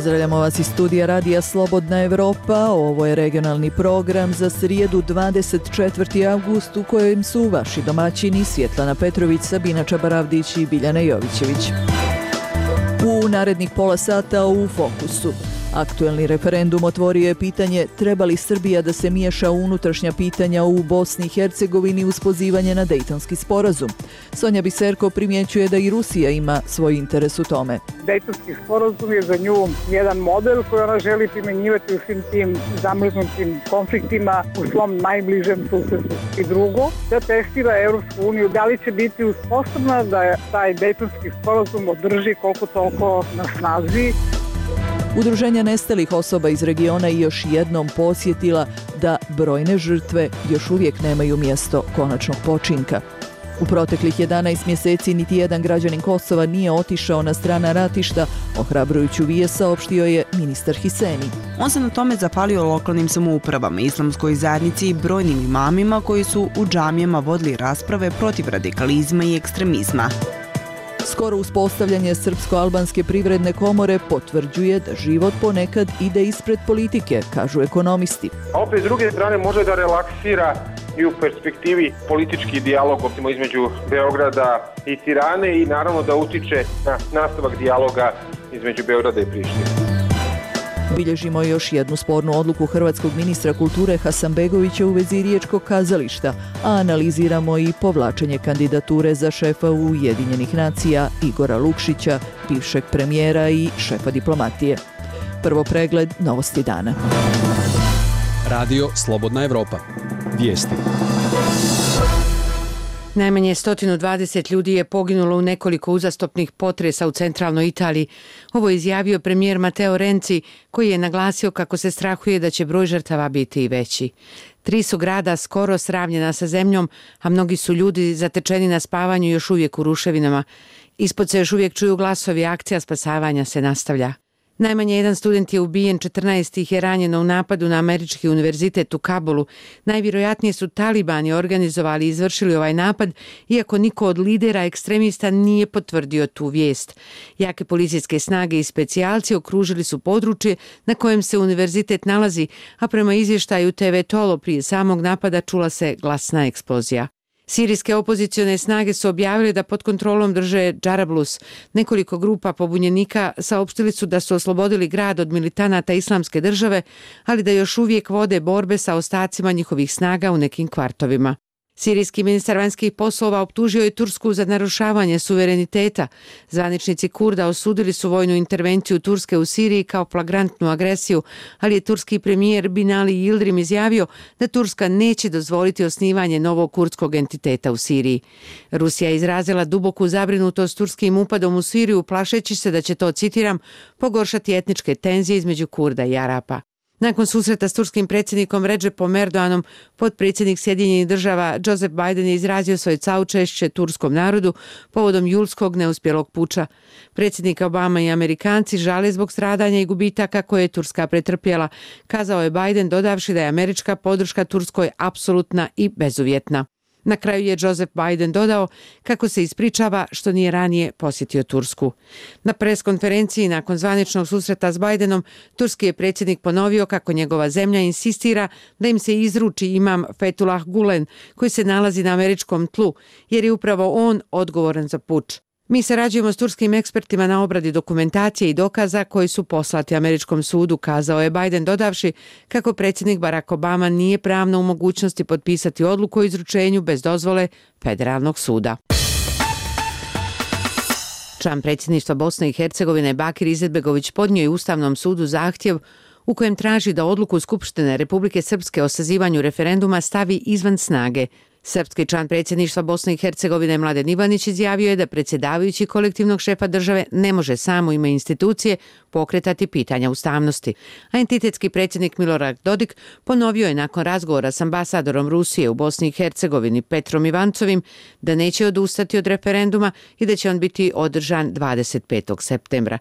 Pozdravljamo vas iz studija Radija Slobodna Evropa. Ovo je regionalni program za srijedu 24. avgust u kojem su vaši domaćini Svjetlana Petrović, Sabina Čabaravdić i Biljana Jovićević. U narednih pola sata u fokusu. Aktuelni referendum otvorio je pitanje treba li Srbija da se miješa u unutrašnja pitanja u Bosni i Hercegovini uz pozivanje na Dejtonski sporazum. Sonja Biserko primjećuje da i Rusija ima svoj interes u tome. Dejtonski sporazum je za nju jedan model koji ona želi primjenjivati u svim tim zamrznutim konfliktima u svom najbližem susjedstvu. I drugo, da testira Europsku uniju da li će biti sposobna da taj Dejtonski sporazum održi koliko toliko na snazi. Udruženja nestalih osoba iz regiona i još jednom podsjetila da brojne žrtve još uvijek nemaju mjesto konačnog počinka. U proteklih 11 mjeseci niti jedan građanin Kosova nije otišao na strana ratišta, ohrabrujuću vijest saopštio je ministar Hiseni. On se na tome zapalio lokalnim samoupravama, islamskoj zajednici i brojnim imamima koji su u džamijama vodili rasprave protiv radikalizma i ekstremizma. Skoro uspostavljanje Srpsko-albanske privredne komore potvrđuje da život ponekad ide ispred politike, kažu ekonomisti. A opet s druge strane može da relaksira i u perspektivi politički dijalog između Beograda i Tirane i naravno da utiče na nastavak dijaloga između Beograda i Prištine. Bilježimo još jednu spornu odluku hrvatskog ministra kulture Hasanbegovića u vezi riječkog kazališta, a analiziramo i povlačenje kandidature za šefa Ujedinjenih nacija Igora Lukšića, bivšeg premijera i šefa diplomatije. Prvo pregled novosti dana. Radio Slobodna Evropa. Vijesti. Najmanje 120 ljudi je poginulo u nekoliko uzastopnih potresa u centralnoj Italiji. Ovo je izjavio premijer Matteo Renzi, koji je naglasio kako se strahuje da će broj žrtava biti i veći. 3 su grada skoro sravnjena sa zemljom, a mnogi su ljudi zatečeni na spavanju još uvijek u ruševinama. Ispod se još uvijek čuju glasovi, akcija spasavanja se nastavlja. Najmanje jedan student je ubijen, 14 ih je ranjeno u napadu na američki univerzitet u Kabulu. Najvjerojatnije su talibani organizovali i izvršili ovaj napad, iako niko od lidera ekstremista nije potvrdio tu vijest. Jake policijske snage i specijalci okružili su područje na kojem se univerzitet nalazi, a prema izvještaju TV Tolo prije samog napada čula se glasna eksplozija. Sirijske opozicione snage su objavili da pod kontrolom drže Džarablus. Nekoliko grupa pobunjenika saopštili su da su oslobodili grad od militanata Islamske države, ali da još uvijek vode borbe sa ostacima njihovih snaga u nekim kvartovima. Sirijski ministar vanjskih poslova optužio je Tursku za narušavanje suvereniteta. Zvaničnici Kurda osudili su vojnu intervenciju Turske u Siriji kao flagrantnu agresiju, ali je turski premijer Binali Yildirim izjavio da Turska neće dozvoliti osnivanje novog kurdskog entiteta u Siriji. Rusija je izrazila duboku zabrinutost turskim upadom u Siriju, plašeći se da će to, citiram, pogoršati etničke tenzije između Kurda i Arapa. Nakon susreta s turskim predsjednikom Recepom Erdoganom, potpredsjednik Sjedinjenih država Joseph Biden je izrazio svoje saučešće turskom narodu povodom julskog neuspjelog puča. Predsjednik Obama i Amerikanci žale zbog stradanja i gubitaka koje je Turska pretrpjela, kazao je Biden dodavši da je američka podrška Turskoj apsolutna i bezuvjetna. Na kraju je Joseph Biden dodao kako se ispričava što nije ranije posjetio Tursku. Na preskonferenciji nakon zvaničnog susreta s Bidenom, turski je predsjednik ponovio kako njegova zemlja insistira da im se izruči imam Fethullah Gulen, koji se nalazi na američkom tlu, jer je upravo on odgovoran za puč. Mi sarađujemo s turskim ekspertima na obradi dokumentacije i dokaza koji su poslati američkom sudu, kazao je Biden dodavši kako predsjednik Barack Obama nije pravno u mogućnosti potpisati odluku o izručenju bez dozvole federalnog suda. Član predsjedništva Bosne i Hercegovine Bakir Izetbegović podnio je Ustavnom sudu zahtjev u kojem traži da odluku Skupštine Republike Srpske o sazivanju referenduma stavi izvan snage. Srpski član predsjedništva Bosne i Hercegovine Mladen Ivanić izjavio je da predsjedavajući kolektivnog šefa države ne može sam u ime institucije pokretati pitanja ustavnosti. A entitetski predsjednik Milorad Dodik ponovio je nakon razgovora s ambasadorom Rusije u Bosni i Hercegovini Petrom Ivancovim da neće odustati od referenduma i da će on biti održan 25. septembra.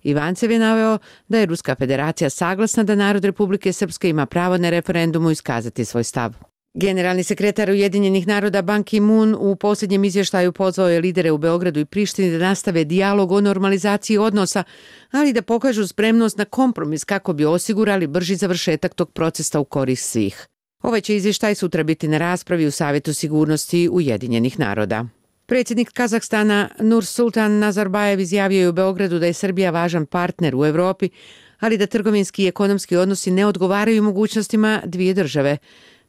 Ivancev je naveo da je Ruska federacija saglasna da narod Republike Srpske ima pravo na referendumu iskazati svoj stav. Generalni sekretar Ujedinjenih naroda Ban Ki-moon u posljednjem izvještaju pozvao je lidere u Beogradu i Prištini da nastave dijalog o normalizaciji odnosa, ali da pokažu spremnost na kompromis kako bi osigurali brži završetak tog procesa u korist svih. Ovaj će izvještaj sutra biti na raspravi u Savjetu sigurnosti Ujedinjenih naroda. Predsjednik Kazahstana Nursultan Nazarbajev izjavio je u Beogradu da je Srbija važan partner u Europi, ali da trgovinski i ekonomski odnosi ne odgovaraju mogućnostima dvije države.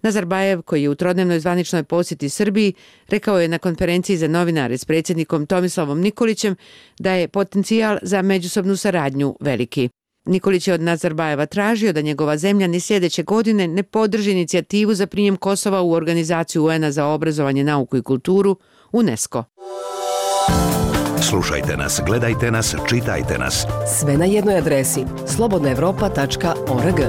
Nazarbajev, koji je u trodnevnoj zvaničnoj posjeti Srbiji, rekao je na konferenciji za novinare s predsjednikom Tomislavom Nikolićem da je potencijal za međusobnu saradnju veliki. Nikolić je od Nazarbajeva tražio da njegova zemlja ni sljedeće godine ne podrži inicijativu za prijem Kosova u organizaciju UN-a za obrazovanje, nauku i kulturu, UNESCO. Slušajte nas, gledajte nas, čitajte nas. Sve na jednoj adresi slobodnaevropa.org.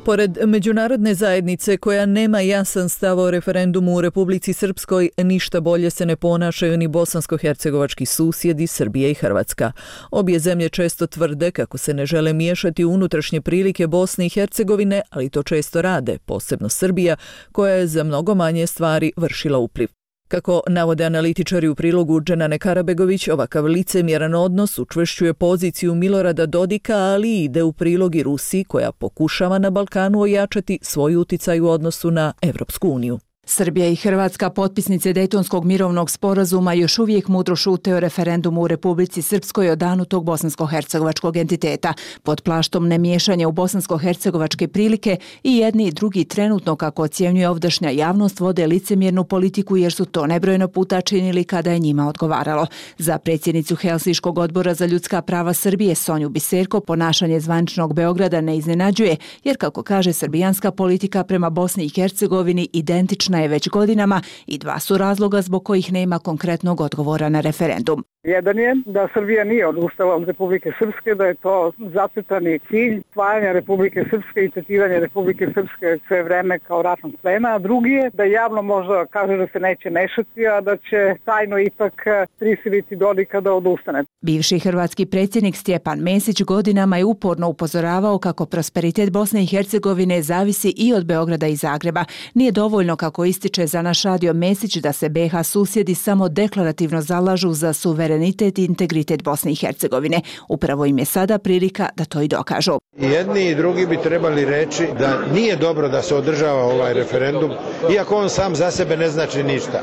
Pored međunarodne zajednice koja nema jasan stav o referendumu u Republici Srpskoj, ništa bolje se ne ponašaju ni bosansko-hercegovački susjedi Srbija i Hrvatska. Obje zemlje često tvrde kako se ne žele miješati u unutrašnje prilike Bosne i Hercegovine, ali to često rade, posebno Srbija, koja je za mnogo manje stvari vršila upliv. Kako navode analitičari u prilogu Dženane Karabegović, ovakav licemjeran odnos učvršćuje poziciju Milorada Dodika, ali ide u prilog i Rusiji, koja pokušava na Balkanu ojačati svoj uticaj u odnosu na Evropsku uniju. Srbija i Hrvatska, potpisnice Dejtonskog mirovnog sporazuma, još uvijek mudro šute o referendumu u Republici Srpskoj o danu tog bosansko-hercegovačkog entiteta. Pod plaštom nemiješanja u bosansko-hercegovačke prilike i jedni i drugi trenutno, kako ocjenjuje ovdašnja javnost, vode licemjernu politiku jer su to nebrojeno puta činili kada je njima odgovaralo. Za predsjednicu Helsinškog odbora za ljudska prava Srbije Sonju Biserko ponašanje zvaničnog Beograda ne iznenađuje, jer kako kaže, srbijanska politika prema Bosni i Hercegovini identična je već godinama i dva su razloga zbog kojih nema konkretnog odgovora na referendum. Jedan je da Srbija nije odustala od Republike Srpske, da je to zacrtani cilj spajanja Republike Srpske i tretiranje Republike Srpske sve vreme kao ratnog plena, a drugi je da javno možda kaže da se neće mešati, a da će tajno ipak prisiliti Dodika da odustane. Bivši hrvatski predsjednik Stjepan Mesić godinama je uporno upozoravao kako prosperitet Bosne i Hercegovine zavisi i od Beograda i Zagreba. Nije dovoljno, kako ističe za naš radio Mesić, da se BiH susjedi samo deklarativno zalažu za suverenitet i integritet Bosne i Hercegovine. Upravo im je sada prilika da to i dokažu. Jedni i drugi bi trebali reći da nije dobro da se održava ovaj referendum, iako on sam za sebe ne znači ništa.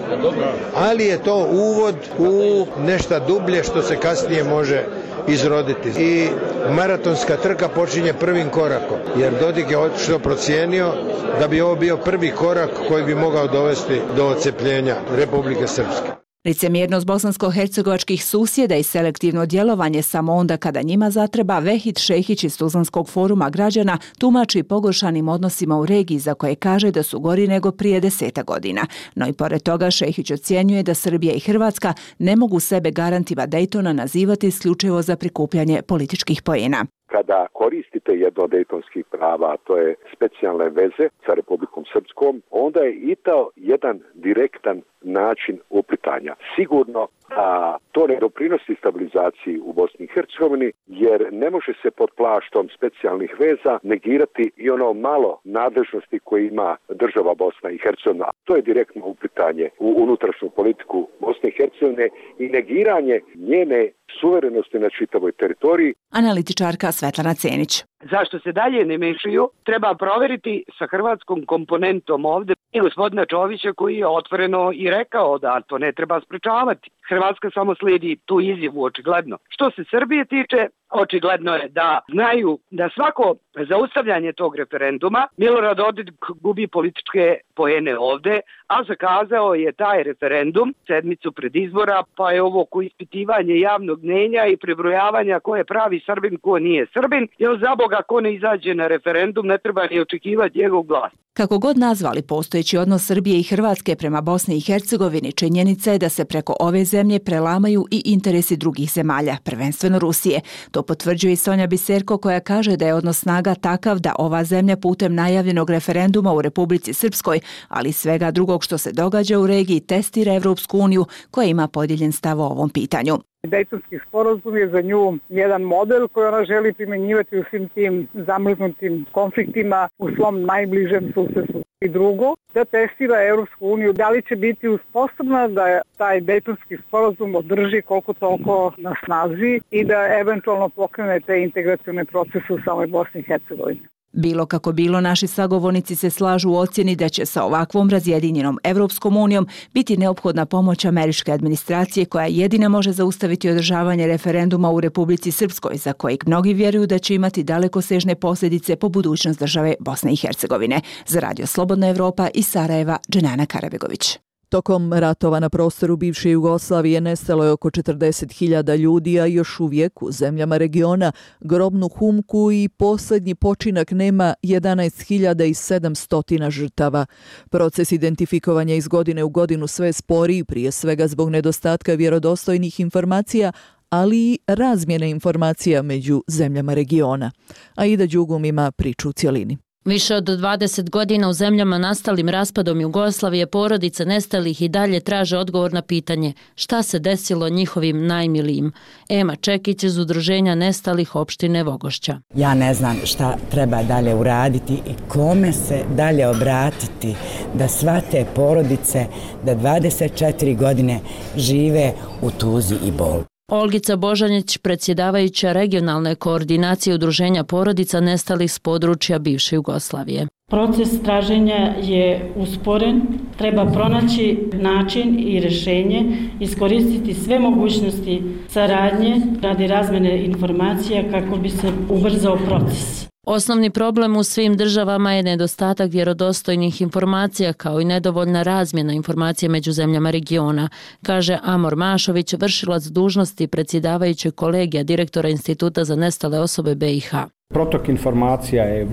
Ali je to uvod u nešto dublje što se kasnije može izroditi. I maratonska trka počinje prvim korakom, jer Dodik je očito procijenio da bi ovo bio prvi korak koji bi mogao dovesti do odcepljenja Republike Srpske. Licemjernost bosansko-hercegovačkih susjeda i selektivno djelovanje samo onda kada njima zatreba, Vehid Šehić iz Tuzlanskog foruma građana tumači pogoršanim odnosima u regiji za koje kaže da su gori nego prije 10 godina. No i pored toga Šehić ocjenjuje da Srbija i Hrvatska ne mogu sebe garantima Dejtona nazivati isključivo za prikupljanje političkih poena. Kada koristite jedno od dejtonskih prava, a to je specijalne veze sa Republikom Srpskom, onda je i to jedan direktan način uplitanja. Sigurno da to ne doprinosi stabilizaciji u Bosni i Hercegovini, jer ne može se pod plaštom specijalnih veza negirati i ono malo nadležnosti koje ima država Bosna i Hercegovina. To je direktno uplitanje u unutrašnju politiku Bosne i Hercegovine i negiranje njene suverenosti na čitavoj teritoriji. Analitičarka Svetlana Cenić. Zašto se dalje ne mešaju, treba proveriti sa hrvatskom komponentom ovde i gospodina Čovića, koji je otvoreno i rekao da to ne treba sprečavati. Hrvatska samo slijedi tu izjavu, očigledno. Što se Srbije tiče, očigledno je da znaju da svako zaustavljanje tog referenduma Milorad Dodik gubi političke poene ovde, a zakazao je taj referendum sedmicu pred izbora, pa je ovo ispitivanje javnog mnjenja i prebrojavanja ko je pravi Srbin, ko nije Srbin, jer za Boga ko ne izađe na referendum ne treba ni očekivati njegov glas. Kako god nazvali postojeći odnos Srbije i Hrvatske prema Bosni i Hercegovini, činjenica je da se preko ove zemlje prelamaju i interesi drugih zemalja, prvenstveno Rusije. To potvrđuje i Sonja Biserko, koja kaže da je odnos snaga takav da ova zemlja putem najavljenog referenduma u Republici Srpskoj, ali i svega drugog što se događa u regiji, testira Evropsku uniju koja ima podijeljen stav o ovom pitanju. Dejtonski sporazum je za nju jedan model koji ona želi primjenjivati u svim tim zamrznutim konfliktima u svom najbližem susedstvu. I drugo, da testira Europsku uniju da li će biti sposobna da taj Dejtonski sporazum održi koliko toliko na snazi i da eventualno pokrene te integracione procese u samoj Bosni i Hercegovini. Bilo kako bilo, naši sagovornici se slažu u ocjeni da će sa ovakvom razjedinjenom Evropskom unijom biti neophodna pomoć američke administracije koja jedina može zaustaviti održavanje referenduma u Republici Srpskoj, za kojeg mnogi vjeruju da će imati dalekosežne posljedice po budućnost države Bosne i Hercegovine. Za Radio Slobodna Evropa iz Sarajeva, Dženana Karabegović. Tokom ratova na prostoru bivše Jugoslavije nestalo je oko 40.000 ljudi, a još uvijek u zemljama regiona grobnu humku i posljednji počinak nema 11.700 žrtava. Proces identifikovanja iz godine u godinu sve sporiji, prije svega zbog nedostatka vjerodostojnih informacija, ali i razmjene informacija među zemljama regiona. Aida Đugum ima priču u cjelini. Više od 20 godina u zemljama nastalim raspadom Jugoslavije porodice nestalih i dalje traže odgovor na pitanje šta se desilo njihovim najmilijim. Ema Čekić iz Udruženja nestalih opštine Vogošća. Ja ne znam šta treba dalje uraditi i kome se dalje obratiti da sva te porodice da 24 godine žive u tuzi i bolu. Olgica Božanić, predsjedavajuća regionalne koordinacije Udruženja porodica nestalih s područja bivše Jugoslavije. Proces traženja je usporen, treba pronaći način i rješenje, iskoristiti sve mogućnosti saradnje radi razmjene informacija kako bi se ubrzao proces. Osnovni problem u svim državama je nedostatak vjerodostojnih informacija kao i nedovoljna razmjena informacija među zemljama regiona, kaže Amor Mašović, vršilac dužnosti predsjedavajućeg kolegija direktora Instituta za nestale osobe BiH. Protok informacija je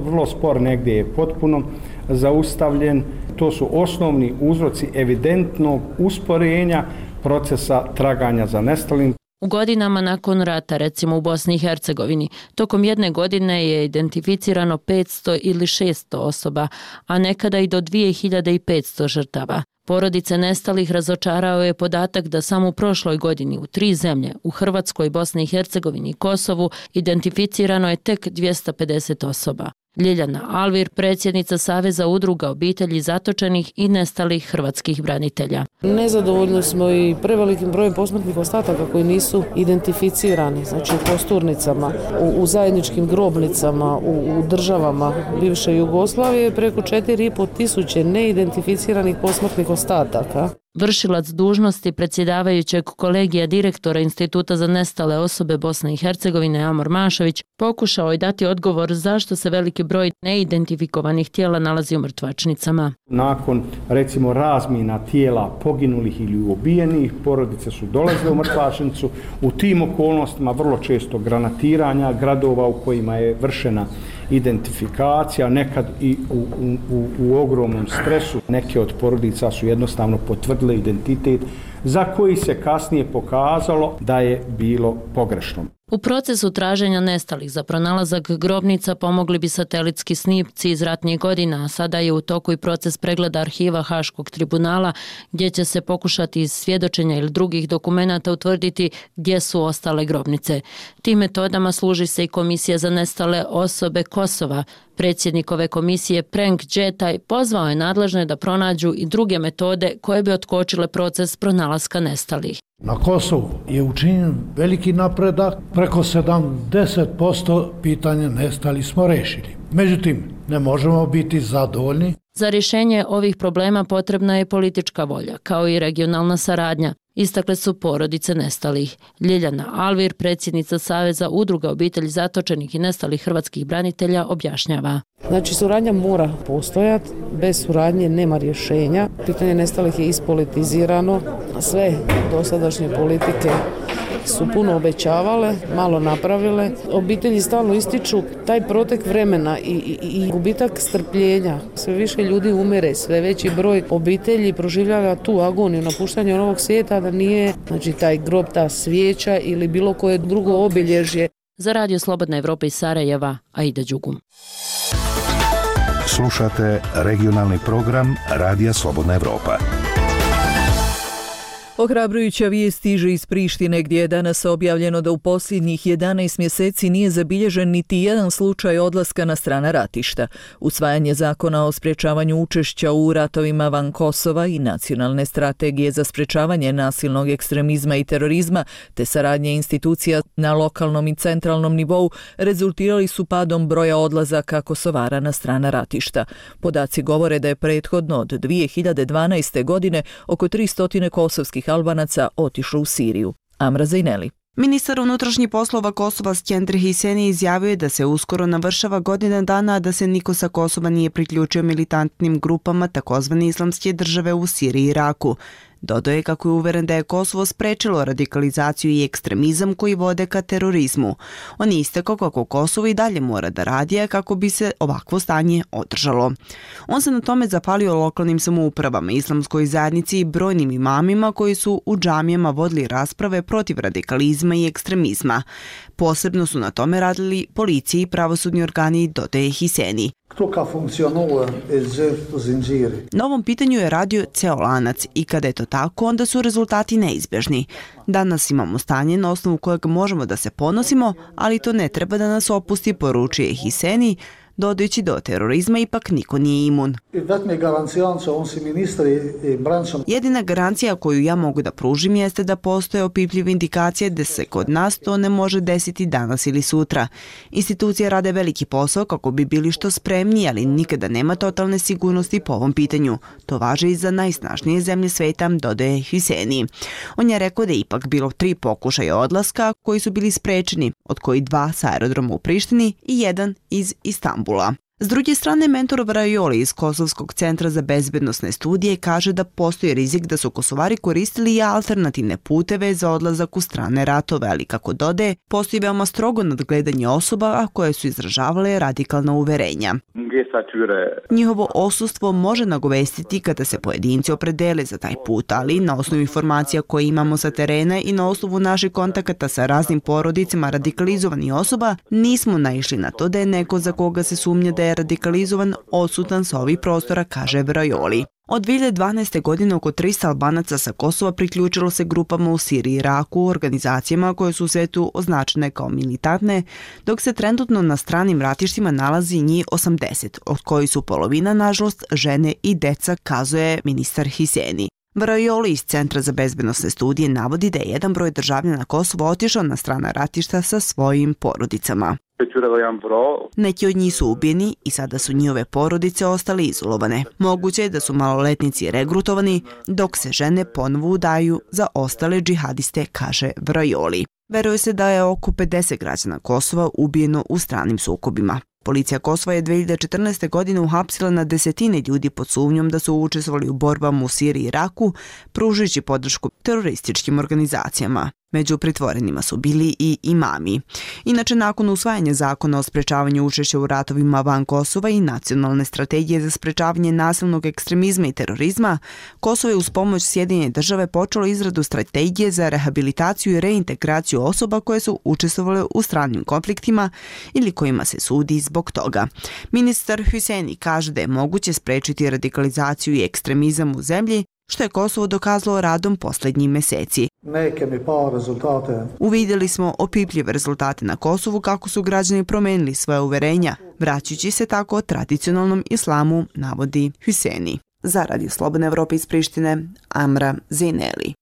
vrlo spor, negdje je potpuno zaustavljen. To su osnovni uzroci evidentnog usporenja procesa traganja za nestalim. U godinama nakon rata, recimo u Bosni i Hercegovini, tokom jedne godine je identificirano 500 ili 600 osoba, a nekada i do 2500 žrtava. Porodice nestalih razočarao je podatak da samo u prošloj godini u 3 zemlje, u Hrvatskoj, Bosni i Hercegovini i Kosovu, identificirano je tek 250 osoba. Ljiljana Alvir, predsjednica Saveza udruga obitelji zatočenih i nestalih hrvatskih branitelja. Nezadovoljni smo i prevelikim brojem posmrtnih ostataka koji nisu identificirani, znači u kosturnicama, u zajedničkim grobnicama, u državama bivše Jugoslavije, preko 4.500 neidentificiranih posmrtnih ostataka. Vršilac dužnosti predsjedavajućeg kolegija direktora Instituta za nestale osobe Bosne i Hercegovine Amor Mašović pokušao je dati odgovor zašto se veliki broj neidentifikovanih tijela nalazi u mrtvačnicama. Nakon, recimo, razmjena tijela poginulih ili ubijenih, porodice su dolazile u mrtvačnicu. U tim okolnostima vrlo često granatiranja gradova u kojima je vršena identifikacija, nekad i u ogromnom stresu. Neke od porodica su jednostavno potvrdile identitet za koji se kasnije pokazalo da je bilo pogrešno. U procesu traženja nestalih za pronalazak grobnica pomogli bi satelitski snimci iz ratnih godina, a sada je u toku i proces pregleda arhiva Haškog tribunala, gdje će se pokušati iz svjedočenja ili drugih dokumenata utvrditi gdje su ostale grobnice. Tim metodama služi se i Komisija za nestale osobe Kosova. Predsjednik ove komisije Prenk Džetaj pozvao je nadležne da pronađu i druge metode koje bi otkočile proces pronalaska nestalih. Na Kosovu je učinjen veliki napredak, preko 70% pitanja nestalih smo rešili. Međutim, ne možemo biti zadovoljni. Za rješenje ovih problema potrebna je politička volja, kao i regionalna saradnja, istakle su porodice nestalih. Ljiljana Alvir, predsjednica Saveza udruga obitelji zatočenih i nestalih hrvatskih branitelja, objašnjava. Znači, suradnja mora postojati, bez suradnje nema rješenja. Pitanje nestalih je ispolitizirano, sve dosadašnje politike su puno obećavale, malo napravile. Obitelji stalno ističu taj protek vremena i gubitak strpljenja. Sve više ljudi umire, sve veći broj obitelji proživljava tu agoniju, napuštanje ovog svijeta, da nije, znači, taj grob, ta svijeća ili bilo koje drugo obilježje. Za Radio Slobodna Evropa iz Sarajeva, Aida Đugum. Slušate regionalni program Radija Slobodna Evropa. Ohrabrujuća vijest stiže iz Prištine gdje je danas objavljeno da u posljednjih 11 mjeseci nije zabilježen niti jedan slučaj odlaska na strana ratišta. Usvajanje zakona o sprječavanju učešća u ratovima van Kosova i nacionalne strategije za sprječavanje nasilnog ekstremizma i terorizma te saradnje institucija na lokalnom i centralnom nivou rezultirali su padom broja odlazaka Kosovara na strana ratišta. Podaci govore da je prethodno od 2012. godine oko 300 kosovskih Albanaca otišlo u Siriju. Amra Zajneli. Ministar unutrašnjih poslova Kosova Skender Hiseni izjavio je da se uskoro navršava godina dana, a da se niko sa Kosova nije priključio militantnim grupama takozvane islamske države u Siriji i Iraku. Dodao je kako je uveren da je Kosovo sprečilo radikalizaciju i ekstremizam koji vode ka terorizmu. On je istakao kako Kosovo i dalje mora da radi kako bi se ovakvo stanje održalo. On se na tome zapalio lokalnim samoupravama, islamskoj zajednici i brojnim imamima koji su u džamijama vodili rasprave protiv radikalizma i ekstremizma. Posebno su na tome radili policija i pravosudni organi, dodaje Hiseni. Na ovom pitanju je radio ceo lanac i kada je to tako, onda su rezultati neizbježni. Danas imamo stanje na osnovu kojeg možemo da se ponosimo, ali to ne treba da nas opusti, poručuje Hiseni, dodajući do terorizma ipak niko nije imun. Jedina garancija koju ja mogu da pružim jeste da postoje opipljive indikacije da se kod nas to ne može desiti danas ili sutra. Institucije rade veliki posao kako bi bili što spremniji, ali nikada nema totalne sigurnosti po ovom pitanju. To važi i za najsnažnije zemlje sveta, dodaje Hiseni. On je rekao da je ipak bilo 3 pokušaja odlaska koji su bili sprečeni, od koji 2 sa aerodroma u Prištini i 1 iz Istanbula. S druge strane, mentor Vrajoli iz Kosovskog centra za bezbednosne studije kaže da postoji rizik da su Kosovari koristili i alternativne puteve za odlazak u strane ratove, ali kako dodaje, postoji veoma strogo nadgledanje osoba koje su izražavale radikalna uverenja. Njihovo osustvo može nagovestiti kada se pojedinci opredele za taj put, ali na osnovu informacija koje imamo sa terena i na osnovu naših kontakata sa raznim porodicama radikalizovanih osoba, nismo naišli na to da je neko za koga se sumnja da je radikalizovan odsutan sa ovih prostora, kaže Vrajoli. Od 2012. godine oko 300 Albanaca sa Kosova priključilo se grupama u Siriji i Iraku, organizacijama koje su u svetu označene kao militantne, dok se trenutno na stranim ratištima nalazi njih 80, od koji su polovina, nažalost, žene i deca, kazuje ministar Hiseni. Vrajoli iz Centra za bezbednosne studije navodi da je jedan broj državljana Kosova otišao na strana ratišta sa svojim porodicama. Neki od njih su ubijeni i sada su njihove porodice ostale izolovane. Moguće je da su maloletnici regrutovani, dok se žene ponovo udaju za ostale džihadiste, kaže Vrajoli. Veruje se da je oko 50 građana Kosova ubijeno u stranim sukobima. Policija Kosova je 2014. godine uhapsila na desetine ljudi pod sumnjom da su učestvovali u borbama u Siriji i Iraku, pružujući podršku terorističkim organizacijama. Među pritvorenima su bili i imami. Inače, nakon usvajanja zakona o sprečavanju učešća u ratovima van Kosova i nacionalne strategije za sprečavanje nasilnog ekstremizma i terorizma, Kosovo je uz pomoć Sjedinjenih država počelo izradu strategije za rehabilitaciju i reintegraciju osoba koje su učestvovale u stranim konfliktima ili kojima se sudi zbog toga. Ministar Hiseni kaže da je moguće sprečiti radikalizaciju i ekstremizam u zemlji, što je Kosovo dokazalo radom posljednjih meseci. Uvidjeli smo opipljive rezultate na Kosovu kako su građani promenili svoje uverenja, vraćajući se tako tradicionalnom islamu, navodi Hiseni. Za Radio Slobodne Evrope iz Prištine, Amra Zajneli.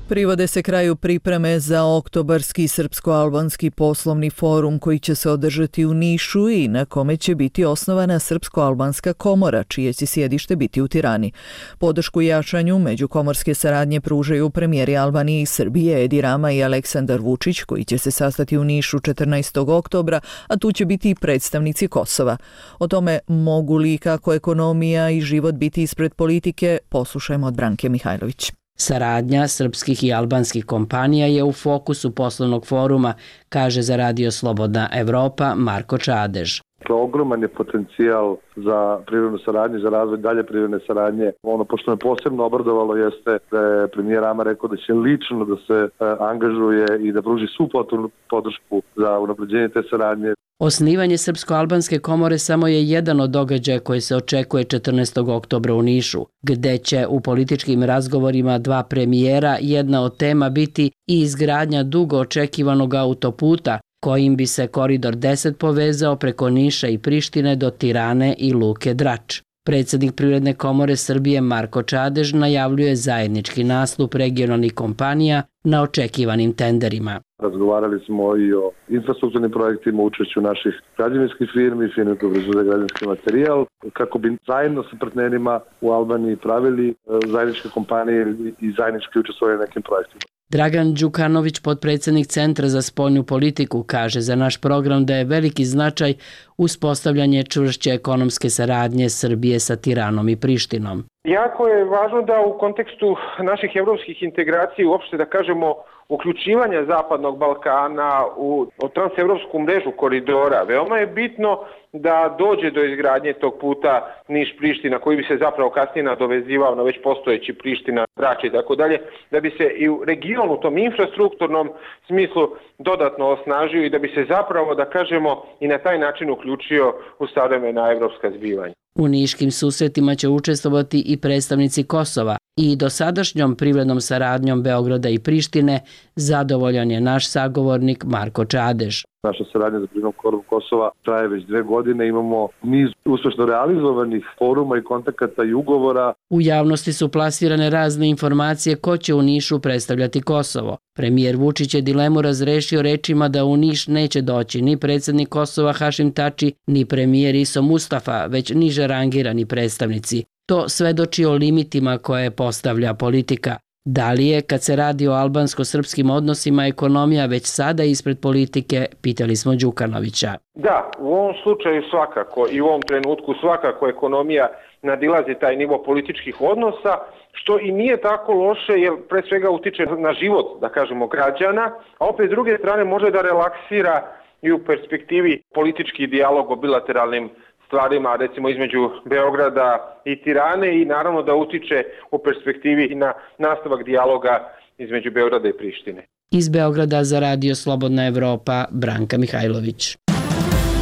Privode se kraju pripreme za oktobarski srpsko-albanski poslovni forum koji će se održati u Nišu i na kome će biti osnovana Srpsko-albanska komora, čije će sjedište biti u Tirani. Podršku jačanju međukomorske saradnje pružaju premijeri Albanije i Srbije Edi Rama i Aleksandar Vučić, koji će se sastati u Nišu 14. oktobra, a tu će biti i predstavnici Kosova. O tome mogu li kako ekonomija i život biti ispred politike, poslušajmo od Branke Mihajlović. Saradnja srpskih i albanskih kompanija je u fokusu poslovnog foruma, kaže za Radio Slobodna Evropa Marko Čadež. Ogroman je potencijal za privrednu saradnju, za razvoj dalje privredne saradnje. Ono pošto me posebno obradovalo jeste da je premijer Rama rekao da će lično da se angažuje i da pruži svu potrebnu podršku za unapređenje te saradnje. Osnivanje Srpsko-albanske komore samo je jedan od događaja koji se očekuje 14. oktobra u Nišu, gde će u političkim razgovorima dva premijera jedna od tema biti i izgradnja dugo očekivanog autoputa, kojim bi se koridor 10 povezao preko Niša i Prištine do Tirane i Luke Drač. Predsjednik Privredne komore Srbije Marko Čadež najavljuje zajednički nastup regionalnih kompanija na očekivanim tenderima. Razgovarali smo i o infrastrukturnim projektima, učešću naših građevinskih firmi, firmi koje proizvode građevinski materijal, kako bi zajedno sa partnerima u Albaniji pravili zajedničke kompanije i zajednički učestvovali na nekim projektima. Dragan Đukanović, potpredsjednik Centra za spoljnu politiku, kaže za naš program da je veliki značaj uspostavljanje čvršće ekonomske saradnje Srbije sa Tiranom i Prištinom. Jako je važno da u kontekstu naših evropskih integracija, uopšte da kažemo uključivanja Zapadnog Balkana u transevropsku mrežu koridora, veoma je bitno da dođe do izgradnje tog puta Niš-Priština, koji bi se zapravo kasnije nadovezivao na već postojeći Priština, Drač i tako dalje, da bi se i u regionu, u tom infrastrukturnom smislu dodatno osnažio i da bi se zapravo, da kažemo, i na taj način uključio u savremena evropska zbivanja. U niškim susretima će učestvovati i predstavnici Kosova i dosadašnjom privrednom saradnjom Beograda i Prištine zadovoljan je naš sagovornik Marko Čadež. Naša saradnja za privrednom koridor Kosova traje već 2 godine, imamo niz uspešno realizovanih foruma i kontakata i ugovora. U javnosti su plasirane razne informacije ko će u Nišu predstavljati Kosovo. Premijer Vučić je dilemu razrešio rečima da u Niš neće doći ni predsjednik Kosova Hašim Tači, ni premijer Iso Mustafa, već niže rangirani predstavnici. To svedoči o limitima koje postavlja politika. Da li je, kad se radi o albansko-srpskim odnosima, ekonomija već sada ispred politike, pitali smo Đukanovića. Da, u ovom slučaju svakako i u ovom trenutku svakako ekonomija nadilazi taj nivo političkih odnosa, što i nije tako loše jer pre svega utiče na život, da kažemo, građana, a opet s druge strane može da relaksira i u perspektivi politički dijalog o bilateralnim stvarima, recimo između Beograda i Tirane, i naravno da utiče u perspektivi i na nastavak dijaloga između Beograda i Prištine. Iz Beograda za Radio Slobodna Evropa, Branka Mihajlović.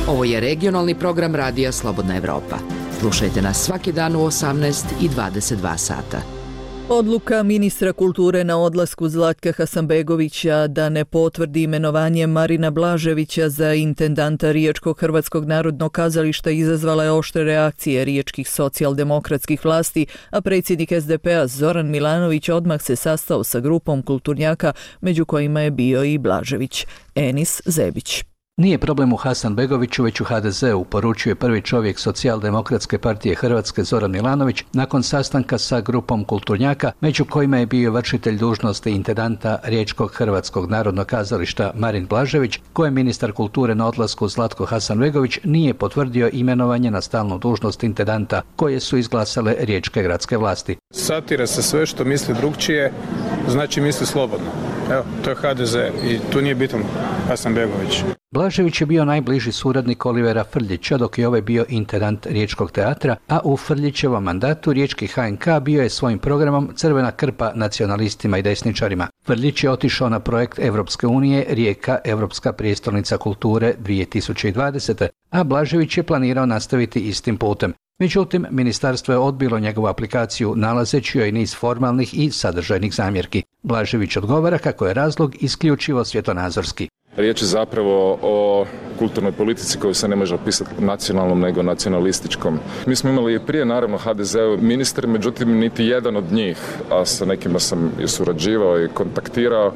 Ovo je regionalni program Radija Slobodna Evropa. Slušajte nas svaki dan u 18 i 22 sata. Odluka ministra kulture na odlasku Zlatka Hasanbegovića da ne potvrdi imenovanje Marina Blaževića za intendanta Riječkog Hrvatskog narodnog kazališta izazvala je oštre reakcije riječkih socijaldemokratskih vlasti, a predsjednik SDP-a Zoran Milanović odmah se sastao sa grupom kulturnjaka, među kojima je bio i Blažević. Enis Zebić. Nije problem u Hasanbegoviću, već u HDZ-u, poručuje prvi čovjek Socijaldemokratske partije Hrvatske Zoran Milanović nakon sastanka sa grupom kulturnjaka, među kojima je bio vršitelj dužnosti intendanta Riječkog Hrvatskog narodnog kazališta Marin Blažević, koje ministar kulture na odlasku Zlatko Hasanbegović nije potvrdio imenovanje na stalnu dužnost intendanta koje su izglasale riječke gradske vlasti. Satira se sve što misli drugčije, znači misli slobodno. Evo, to je HDZ i tu nije bitan Hasanbegović. Blažević je bio najbliži suradnik Olivera Frljića, dok je ovaj bio intendant Riječkog teatra, a u Frljićevom mandatu Riječki HNK bio je svojim programom crvena krpa nacionalistima i desničarima. Frljić je otišao na projekt Evropske unije Rijeka, Evropska prijestolnica kulture 2020. a Blažević je planirao nastaviti istim putem. Međutim, ministarstvo je odbilo njegovu aplikaciju nalazeći joj niz formalnih i sadržajnih zamjerki. Blažević odgovara kako je razlog isključivo svjetonazorski. Riječ je zapravo o kulturnoj politici koju se ne može opisati nacionalnom nego nacionalističkom. Mi smo imali i prije naravno HDZ-u ministar, međutim niti jedan od njih, a sa nekima sam i surađivao i kontaktirao,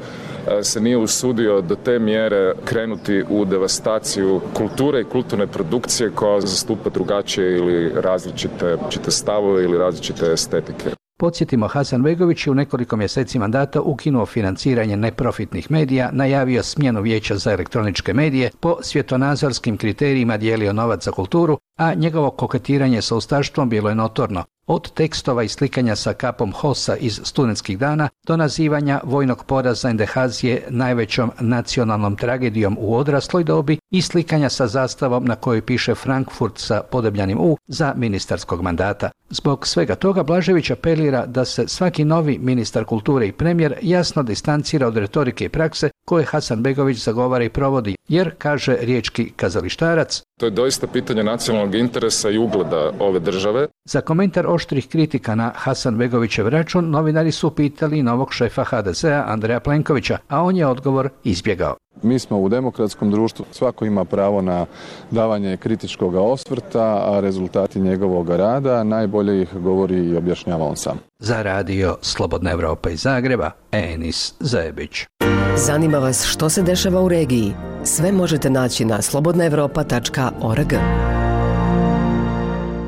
se nije usudio do te mjere krenuti u devastaciju kulture i kulturne produkcije koja zastupa drugačije ili različite stavove ili različite estetike. Podsjetimo, Hasanbegović je u nekoliko mjeseci mandata ukinuo financiranje neprofitnih medija, najavio smjenu Vijeća za elektroničke medije, po svjetonazorskim kriterijima dijelio novac za kulturu, a njegovo koketiranje sa ustaštvom bilo je notorno. Od tekstova i slikanja sa kapom HOS-a iz studentskih dana do nazivanja vojnog poraza Endehazije najvećom nacionalnom tragedijom u odrasloj dobi i slikanja sa zastavom na kojoj piše Frankfurt sa podebljanim U za ministarskog mandata. Zbog svega toga Blažević apelira da se svaki novi ministar kulture i premijer jasno distancira od retorike i prakse koje Hasanbegović zagovara i provodi, jer, kaže riječki kazalištarac, to je doista pitanje nacionalnog interesa i ugleda ove države. Za komentar oštrih kritika na Hasanbegovićev račun novinari su pitali novog šefa HDZ-a Andreja Plenkovića, a on je odgovor izbjegao. Mi smo u demokratskom društvu, svako ima pravo na davanje kritičkog osvrta, a rezultati njegovog rada najbolje ih govori i objašnjava on sam. Za radio Slobodna Evropa iz Zagreba, Enis Zajebić. Zanima vas što se dešava u regiji? Sve možete naći na slobodnaevropa.org.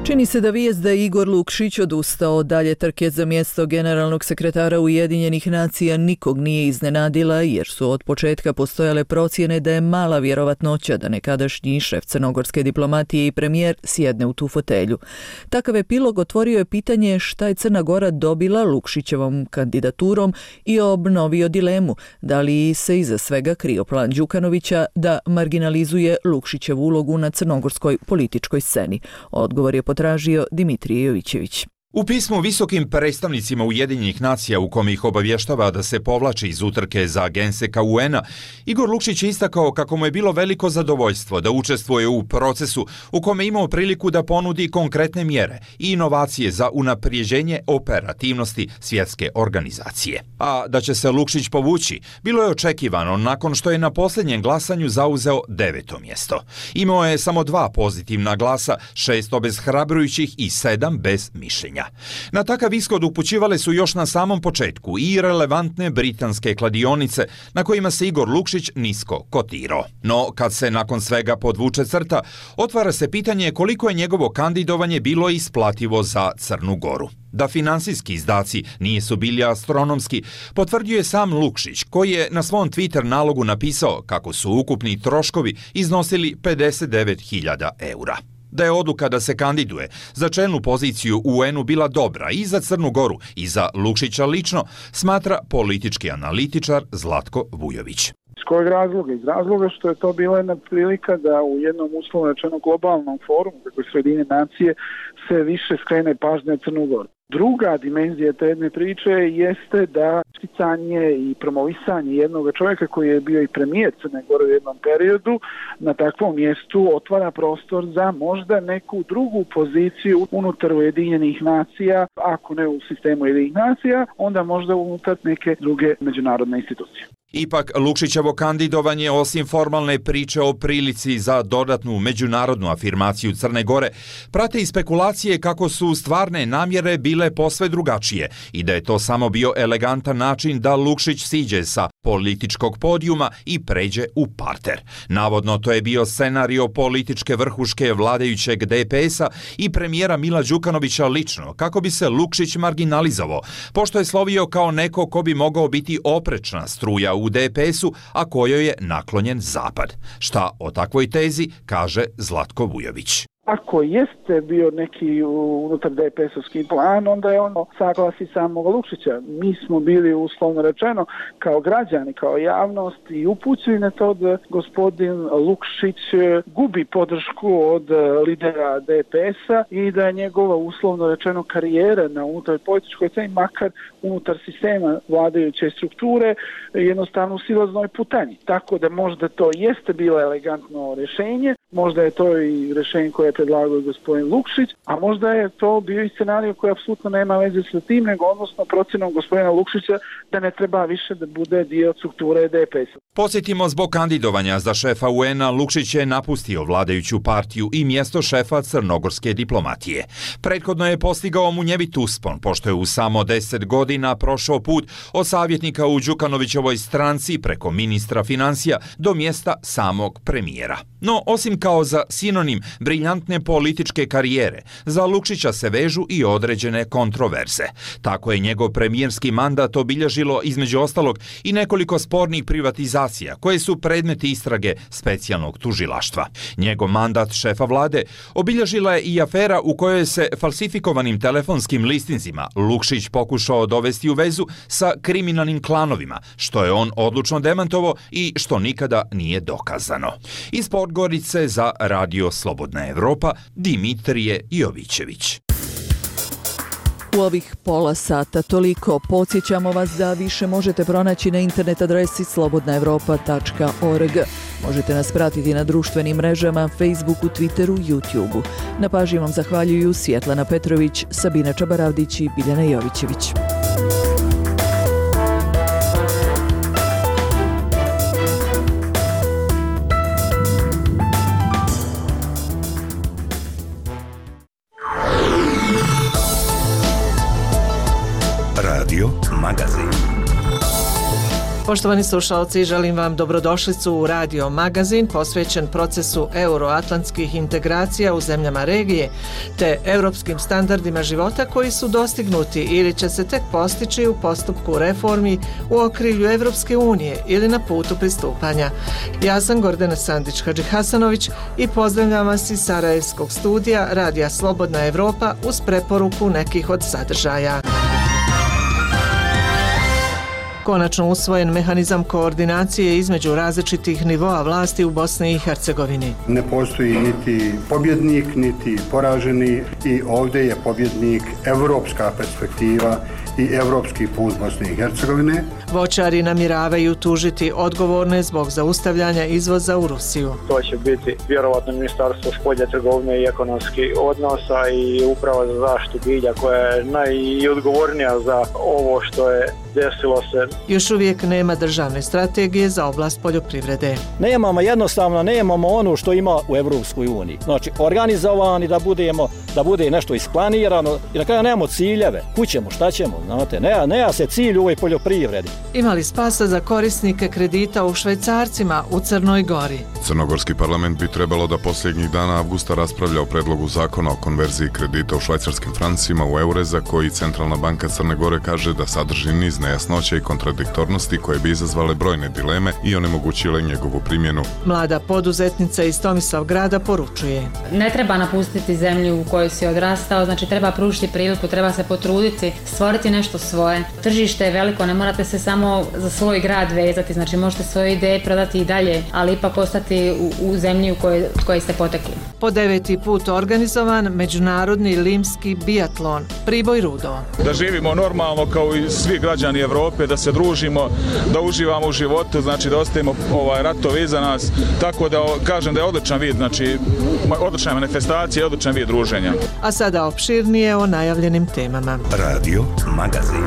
Čini se da vijest da je Igor Lukšić odustao od dalje trke za mjesto generalnog sekretara Ujedinjenih nacija nikog nije iznenadila, jer su od početka postojale procjene da je mala vjerovatnoća da nekadašnji šef crnogorske diplomatije i premijer sjedne u tu fotelju. Takav epilog otvorio je pitanje šta je Crna Gora dobila Lukšićevom kandidaturom i obnovio dilemu da li se iza svega krio plan Đukanovića da marginalizuje Lukšićevu ulogu na crnogorskoj političkoj sceni. Odgovor je potražio Dimitrije Jovićević. U pismu visokim predstavnicima Ujedinjenih nacija u kome ih obavještava da se povlači iz utrke za genseka UN-a, Igor Lukšić je istakao kako mu je bilo veliko zadovoljstvo da učestvuje u procesu u kome imao priliku da ponudi konkretne mjere i inovacije za unaprijeđenje operativnosti svjetske organizacije. A da će se Lukšić povući, bilo je očekivano nakon što je na posljednjem glasanju zauzeo 9. mjesto. Imao je samo 2 pozitivna glasa, 6 obeshrabrujućih i 7 bez mišljenja. Na takav ishod upućivale su još na samom početku i relevantne britanske kladionice na kojima se Igor Lukšić nisko kotirao. No, kad se nakon svega podvuče crta, otvara se pitanje koliko je njegovo kandidovanje bilo isplativo za Crnu Goru. Da finansijski izdaci nisu bili astronomski, potvrdio je sam Lukšić, koji je na svom Twitter nalogu napisao kako su ukupni troškovi iznosili 59.000 eura. Da je odluka da se kandiduje za čelnu poziciju u UN-u bila dobra i za Crnu Goru i za Lukšića lično, smatra politički analitičar Zlatko Vujović. Iz kojeg razloga? Iz razloga što je to bila jedna prilika da u jednom uslovno rečeno globalnom forumu, kako je Sjedinjene nacije, se više skrene pažnja na Crnu Goru. Druga dimenzija te jedne priče jeste da isticanje i promovisanje jednog čovjeka koji je bio i premijer Crne Gore u jednom periodu na takvom mjestu otvara prostor za možda neku drugu poziciju unutar Ujedinjenih nacija, ako ne u sistemu Ujedinjenih nacija, onda možda unutar neke druge međunarodne institucije. Ipak, Lukšićevo kandidovanje, osim formalne priče o prilici za dodatnu međunarodnu afirmaciju Crne Gore, prate i spekulacije kako su stvarne namjere bile posve drugačije i da je to samo bio elegantan način da Lukšić siđe sa političkog podijuma i pređe u parter. Navodno, to je bio scenario političke vrhuške vladajućeg DPS-a i premijera Mila Đukanovića lično, kako bi se Lukšić marginalizovao, pošto je slovio kao neko ko bi mogao biti oprečna struja u DPS-u, a kojoj je naklonjen Zapad. Šta o takvoj tezi kaže Zlatko Vujović. Ako jeste bio neki unutar DPS-ovski plan, onda je ono saglasi samog Lukšića. Mi smo bili uslovno rečeno kao građani, kao javnost i upućeni na to da gospodin Lukšić gubi podršku od lidera DPS-a i da je njegova uslovno rečeno karijera na unutar političkoj sceni, makar unutar sistema vladajuće strukture, jednostavno u silaznoj putanji. Tako da možda to jeste bilo elegantno rješenje, možda je to i rješenje koje je predlagao gospodin Lukšić, a možda je to bio i scenario koji apsolutno nema veze sa tim, nego odnosno procjenom gospodina Lukšića da ne treba više da bude dio strukture DPS-a. Podsjetimo, zbog kandidovanja za šefa UN-a, Lukšić je napustio vladajuću partiju i mjesto šefa crnogorske diplomatije. Prethodno je postigao munjevit uspon, pošto je u samo 10 godina prošao put od savjetnika u Đukanovićevoj stranci preko ministra financija do mjesta samog premijera. No, osim kao za sinonim briljantne političke karijere, za Lukšića se vežu i određene kontroverze. Tako je njegov premijerski mandat obilježilo između ostalog i nekoliko spornih privatizacija koje su predmeti istrage specijalnog tužilaštva. Njegov mandat šefa vlade obilježila je i afera u kojoj se falsifikovanim telefonskim listinzima Lukšić pokušao dovesti u vezu sa kriminalnim klanovima, što je on odlučno demantovao i što nikada nije dokazano. Iz Podgorice za Radio Slobodna Evropa, Dimitrije Jovićević. U ovih pola sata toliko. Podsjećamo vas da više možete pronaći na internet adresi slobodnaevropa.org. Možete nas pratiti na društvenim mrežama, Facebooku, Twitteru, YouTubeu. Na pažnji vam zahvaljuju Svjetlana Petrović, Sabina Čabaravdić i Biljana Jovićević. Radio Magazin. Poštovani slušalci, želim vam dobrodošlicu u Radio Magazin posvećen procesu euroatlantskih integracija u zemljama regije te europskim standardima života koji su dostignuti ili će se tek postići u postupku reformi u okrilju Evropske unije ili na putu pristupanja. Ja sam Gordana Sandić-Hadžihasanović i pozdravljam vas iz Sarajevskog studija Radija Slobodna Evropa uz preporuku nekih od sadržaja. Konačno usvojen mehanizam koordinacije između različitih nivoa vlasti u Bosni i Hercegovini. Ne postoji niti pobjednik, niti poraženi i ovdje je pobjednik evropska perspektiva i evropski put Bosne i Hercegovine. Voćari namjeravaju tužiti odgovorne zbog zaustavljanja izvoza u Rusiju. To će biti vjerovatno Ministarstvo spoljne trgovine i ekonomskih odnosa i Uprava za zaštitu bilja koja je najodgovornija za ovo što je desilo se. Još uvijek nema državne strategije za oblast poljoprivrede. Nemamo ono što ima u Evropskoj uniji. Znači, organizovani da bude nešto isplanirano i na kraju nemamo ciljeve. Kućemo, šta ćemo, znate, nema se cilj u ovoj poljoprivredi. Ima li spasa za korisnike kredita u švajcarcima u Crnoj Gori? Crnogorski parlament bi trebalo da posljednjih dana avgusta raspravlja o predlogu zakona o konverziji kredita u švajcarskim francima u eure za koji Centralna banka Crne Gore kaže da sadrži niz nejasnoća i kontradiktornosti koje bi izazvale brojne dileme i onemogućile njegovu primjenu. Mlada poduzetnica iz Tomislavgrada poručuje: ne treba napustiti zemlju u kojoj si odrastao, znači treba pružiti priliku, treba se potruditi, stvoriti nešto svoje. Tržište je veliko, ne morate se samo za svoj grad vezati, znači možete svoje ideje prodati i dalje, ali ipak ostati u zemlji u kojoj ste potekli. Po 9. put organizovan međunarodni limski biatlon Priboj Rudo. Da živimo normalno kao i svi građani Evrope, da se družimo, da uživamo u životu, znači da ostavimo ratovi iza nas, tako da kažem da je odličan vid, znači odlična manifestacija i odličan vid druženja. A sada opširnije o najavljenim temama. Radio Magazin.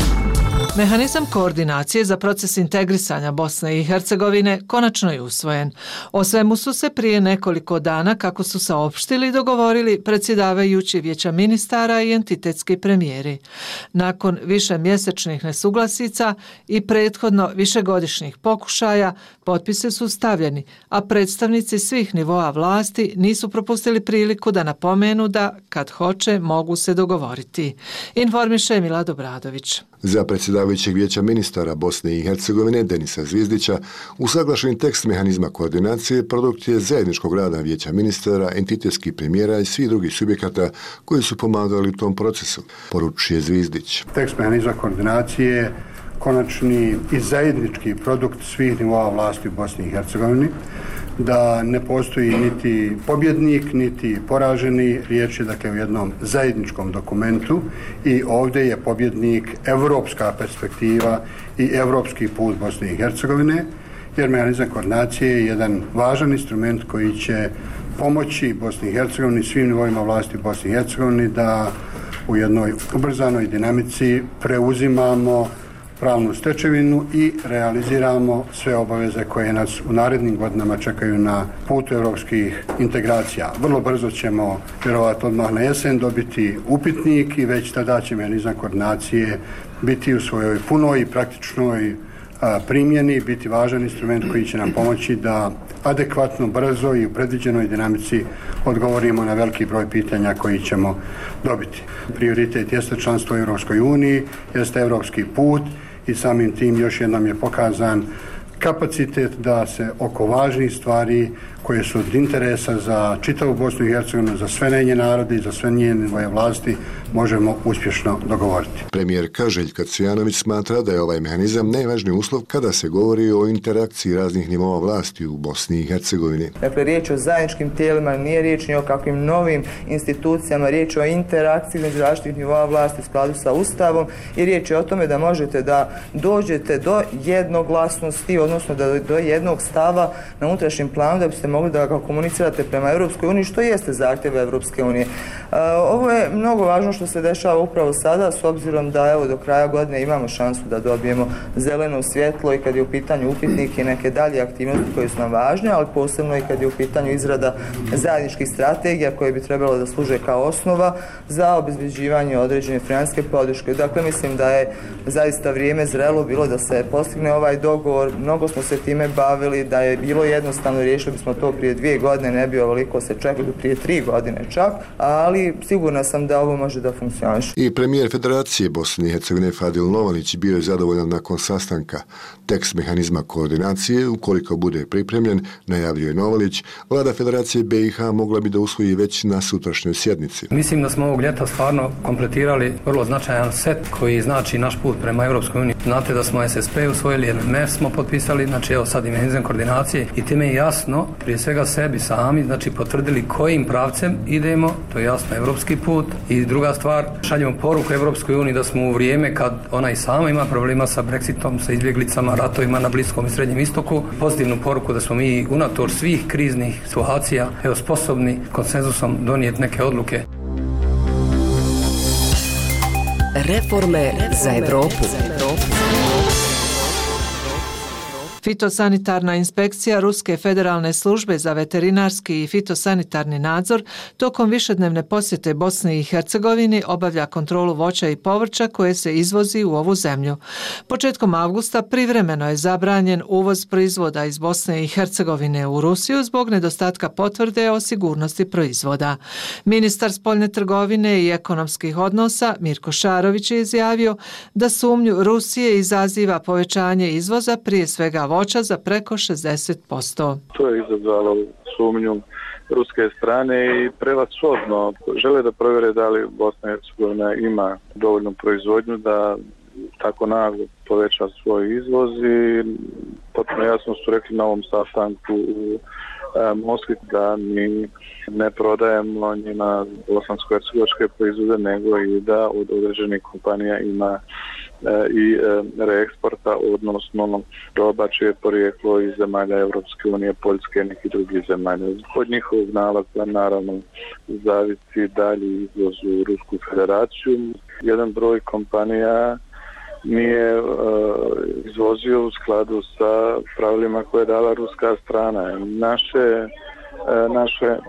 Mehanizam koordinacije za proces integrisanja Bosne i Hercegovine konačno je usvojen. O svemu su se prije nekoliko dana, kako su saopštili, dogovorili predsjedavajući Vijeća ministara i entitetski premijeri. Nakon višemjesečnih nesuglasica i prethodno višegodišnjih pokušaja, potpise su stavljeni, a predstavnici svih nivoa vlasti nisu propustili priliku da napomenu da, kad hoće, mogu se dogovoriti. Informiše Milad Obradović. Za predsjedavajućeg Vijeća ministara Bosne i Hercegovine Denisa Zvizdića usaglašeni tekst mehanizma koordinacije produkt je zajedničkog rada Vijeća ministara, entitetskih premijera i svih drugih subjekata koji su pomagali u tom procesu, poručuje Zvizdić. Tekst mehanizma koordinacije je konačni i zajednički produkt svih nivoa vlasti u Bosni i Hercegovini, da ne postoji niti pobjednik, niti poraženi, riječ je dakle u jednom zajedničkom dokumentu i ovdje je pobjednik evropska perspektiva i evropski put Bosne i Hercegovine, jer mehanizam koordinacije je jedan važan instrument koji će pomoći Bosni i Hercegovini, svim nivoima vlasti u Bosni i Hercegovini da u jednoj ubrzanoj dinamici preuzimamo pravnu stečevinu i realiziramo sve obaveze koje nas u narednim godinama čekaju na putu evropskih integracija. Vrlo brzo ćemo, vjerovatno odmah na jesen, dobiti upitnik i već tada će mehanizam koordinacije biti u svojoj punoj i praktičnoj primjeni, biti važan instrument koji će nam pomoći da adekvatno, brzo i u predviđenoj dinamici odgovorimo na veliki broj pitanja koji ćemo dobiti. Prioritet jeste članstvo u Europskoj uniji, jeste evropski put i samim tim još jednom je pokazan kapacitet da se oko važnih stvari koje su od interesa za čitavu Bosnu i Hercegovinu, za sve njene narode i za sve njene vlasti možemo uspješno dogovoriti. Premijerka Željka Cvijanović smatra da je ovaj mehanizam najvažniji uslov kada se govori o interakciji raznih nivoa vlasti u Bosni i Hercegovini. Dakle, riječ o zajedničkim tijelima, nije riječ ni o kakvim novim institucijama, riječ o interakciji među različitih nivoa vlasti u skladu sa Ustavom i riječ je o tome da možete da dođete do jednoglasnosti, odnosno do jednog stava na unutrašnjem planu da biste mogli da ga komunicirate prema Europskoj uniji, što jeste zahtjev Europske unije. Ovo je mnogo važno što se dešava upravo sada, s obzirom da evo do kraja godine imamo šansu da dobijemo zeleno svjetlo i kad je u pitanju upitnik i neke dalje aktivnosti koje su nam važne, ali posebno i kad je u pitanju izrada zajedničkih strategija koje bi trebalo da služe kao osnova za obezbeđivanje određene financijske podrške. Dakle, mislim da je zaista vrijeme zrelo bilo da se postigne ovaj dogovor, mnogo smo se time bavili, da je bilo jednostavno, riješili bismo to prije 2 godine, ne bi ovoliko se čekali prije 3 godine čak, ali sigurna sam da ovo može da funkcioniše. I premijer Federacije Bosne i Hercegovine Fadil Novalić bio je zadovoljan nakon sastanka. Tekst mehanizma koordinacije, ukoliko bude pripremljen, najavljuje Novalić, vlada Federacije BiH mogla bi da usvoji već na sutrašnjoj sjednici. Mislim da smo ovog ljeta stvarno kompletirali vrlo značajan set koji znači naš put prema Europskoj uniji. Znate da smo SSP usvojili, MMF smo potpisali, znači evo sad i mehanizam koordinacije i time je jasno, prije svega sebi sami, znači potvrdili kojim pravcem idemo, to je jasno evropski put. I druga stvar, šaljemo poruku Europskoj uniji da smo u vrijeme kad ona i sama ima problema sa Brexitom, sa izbjeglicama, ratovima na Bliskom i Srednjem istoku, pozitivnu poruku da smo mi unatoč svih kriznih situacija evo sposobni konsenzusom donijeti neke odluke. Reforme za Evropu. Fitosanitarna inspekcija Ruske federalne službe za veterinarski i fitosanitarni nadzor tokom višednevne posjete Bosni i Hercegovini obavlja kontrolu voća i povrća koje se izvozi u ovu zemlju. Početkom avgusta privremeno je zabranjen uvoz proizvoda iz Bosne i Hercegovine u Rusiju zbog nedostatka potvrde o sigurnosti proizvoda. Ministar spoljne trgovine i ekonomskih odnosa Mirko Šarović je izjavio da sumnju Rusije izaziva povećanje izvoza prije svega voća za preko 60%. To je izazvalo sumnju ruske strane i prevashodno žele da provjere da li Bosna i Hercegovina ima dovoljnu proizvodnju da tako naglo poveća svoj izvoz i potpuno jasno su rekli na ovom sastanku u Moskvi da mi ne prodajemo njima bosansko-hercegovačke proizvode, nego i da od određenih kompanija ima i reeksporta, odnosno roba čije porijeklo iz zemalja Europske unije, Poljske i nekih drugih zemalja. Od njihovog nalaza naravno zavisi dalji izvoz u Rusku federaciju. Jedan broj kompanija nije izvozio u skladu sa pravilima koje je dala ruska strana.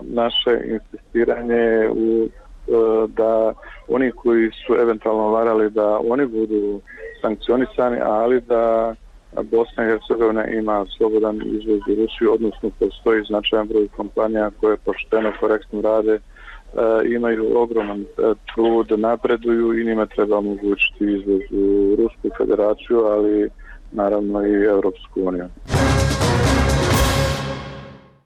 Naše insistiranje u da oni koji su eventualno varali da oni budu sankcionisani, ali da Bosna i Hercegovina ima slobodan izvoz u Rusiju, odnosno postoji značajan broj kompanija koje pošteno, korektno rade, imaju ogroman trud, napreduju i njima treba omogućiti izvoz u Rusku federaciju, ali naravno i Europsku uniju.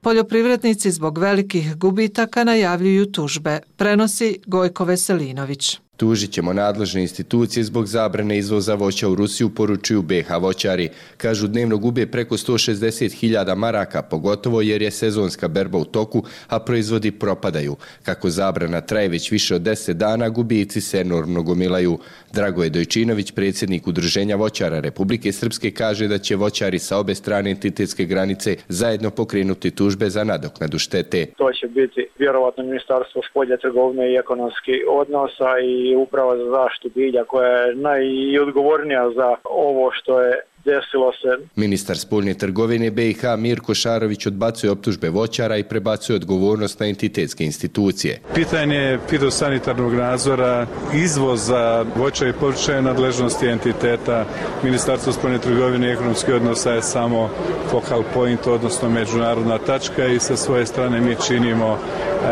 Poljoprivrednici zbog velikih gubitaka najavljuju tužbe, prenosi Gojko Veselinović. Tužit ćemo nadležne institucije zbog zabrane izvoza voća u Rusiju, poručuju BiH voćari. Kažu dnevno gube preko 160.000 maraka, pogotovo jer je sezonska berba u toku, a proizvodi propadaju. Kako zabrana traje već više od 10 dana, gubici se enormno gomilaju. Dragoje Dojčinović, predsjednik Udruženja voćara Republike Srpske, kaže da će voćari sa obe strane entitetske granice zajedno pokrenuti tužbe za nadoknadu štete. To će biti vjerovatno Ministarstvo spoljne trgovine i ekonomskih odnosa i Uprava za zaštitu bilja koja je najodgovornija za ovo što je desilo se. Ministar spoljne trgovine BiH Mirko Šarović odbacuje optužbe voćara i prebacuje odgovornost na entitetske institucije. Pitanje fitosanitarnog nadzora, izvoza voća i povrća je nadležnosti entiteta. Ministarstvo spoljne trgovine i ekonomskih odnosa je samo focal point, odnosno međunarodna tačka i sa svoje strane mi činimo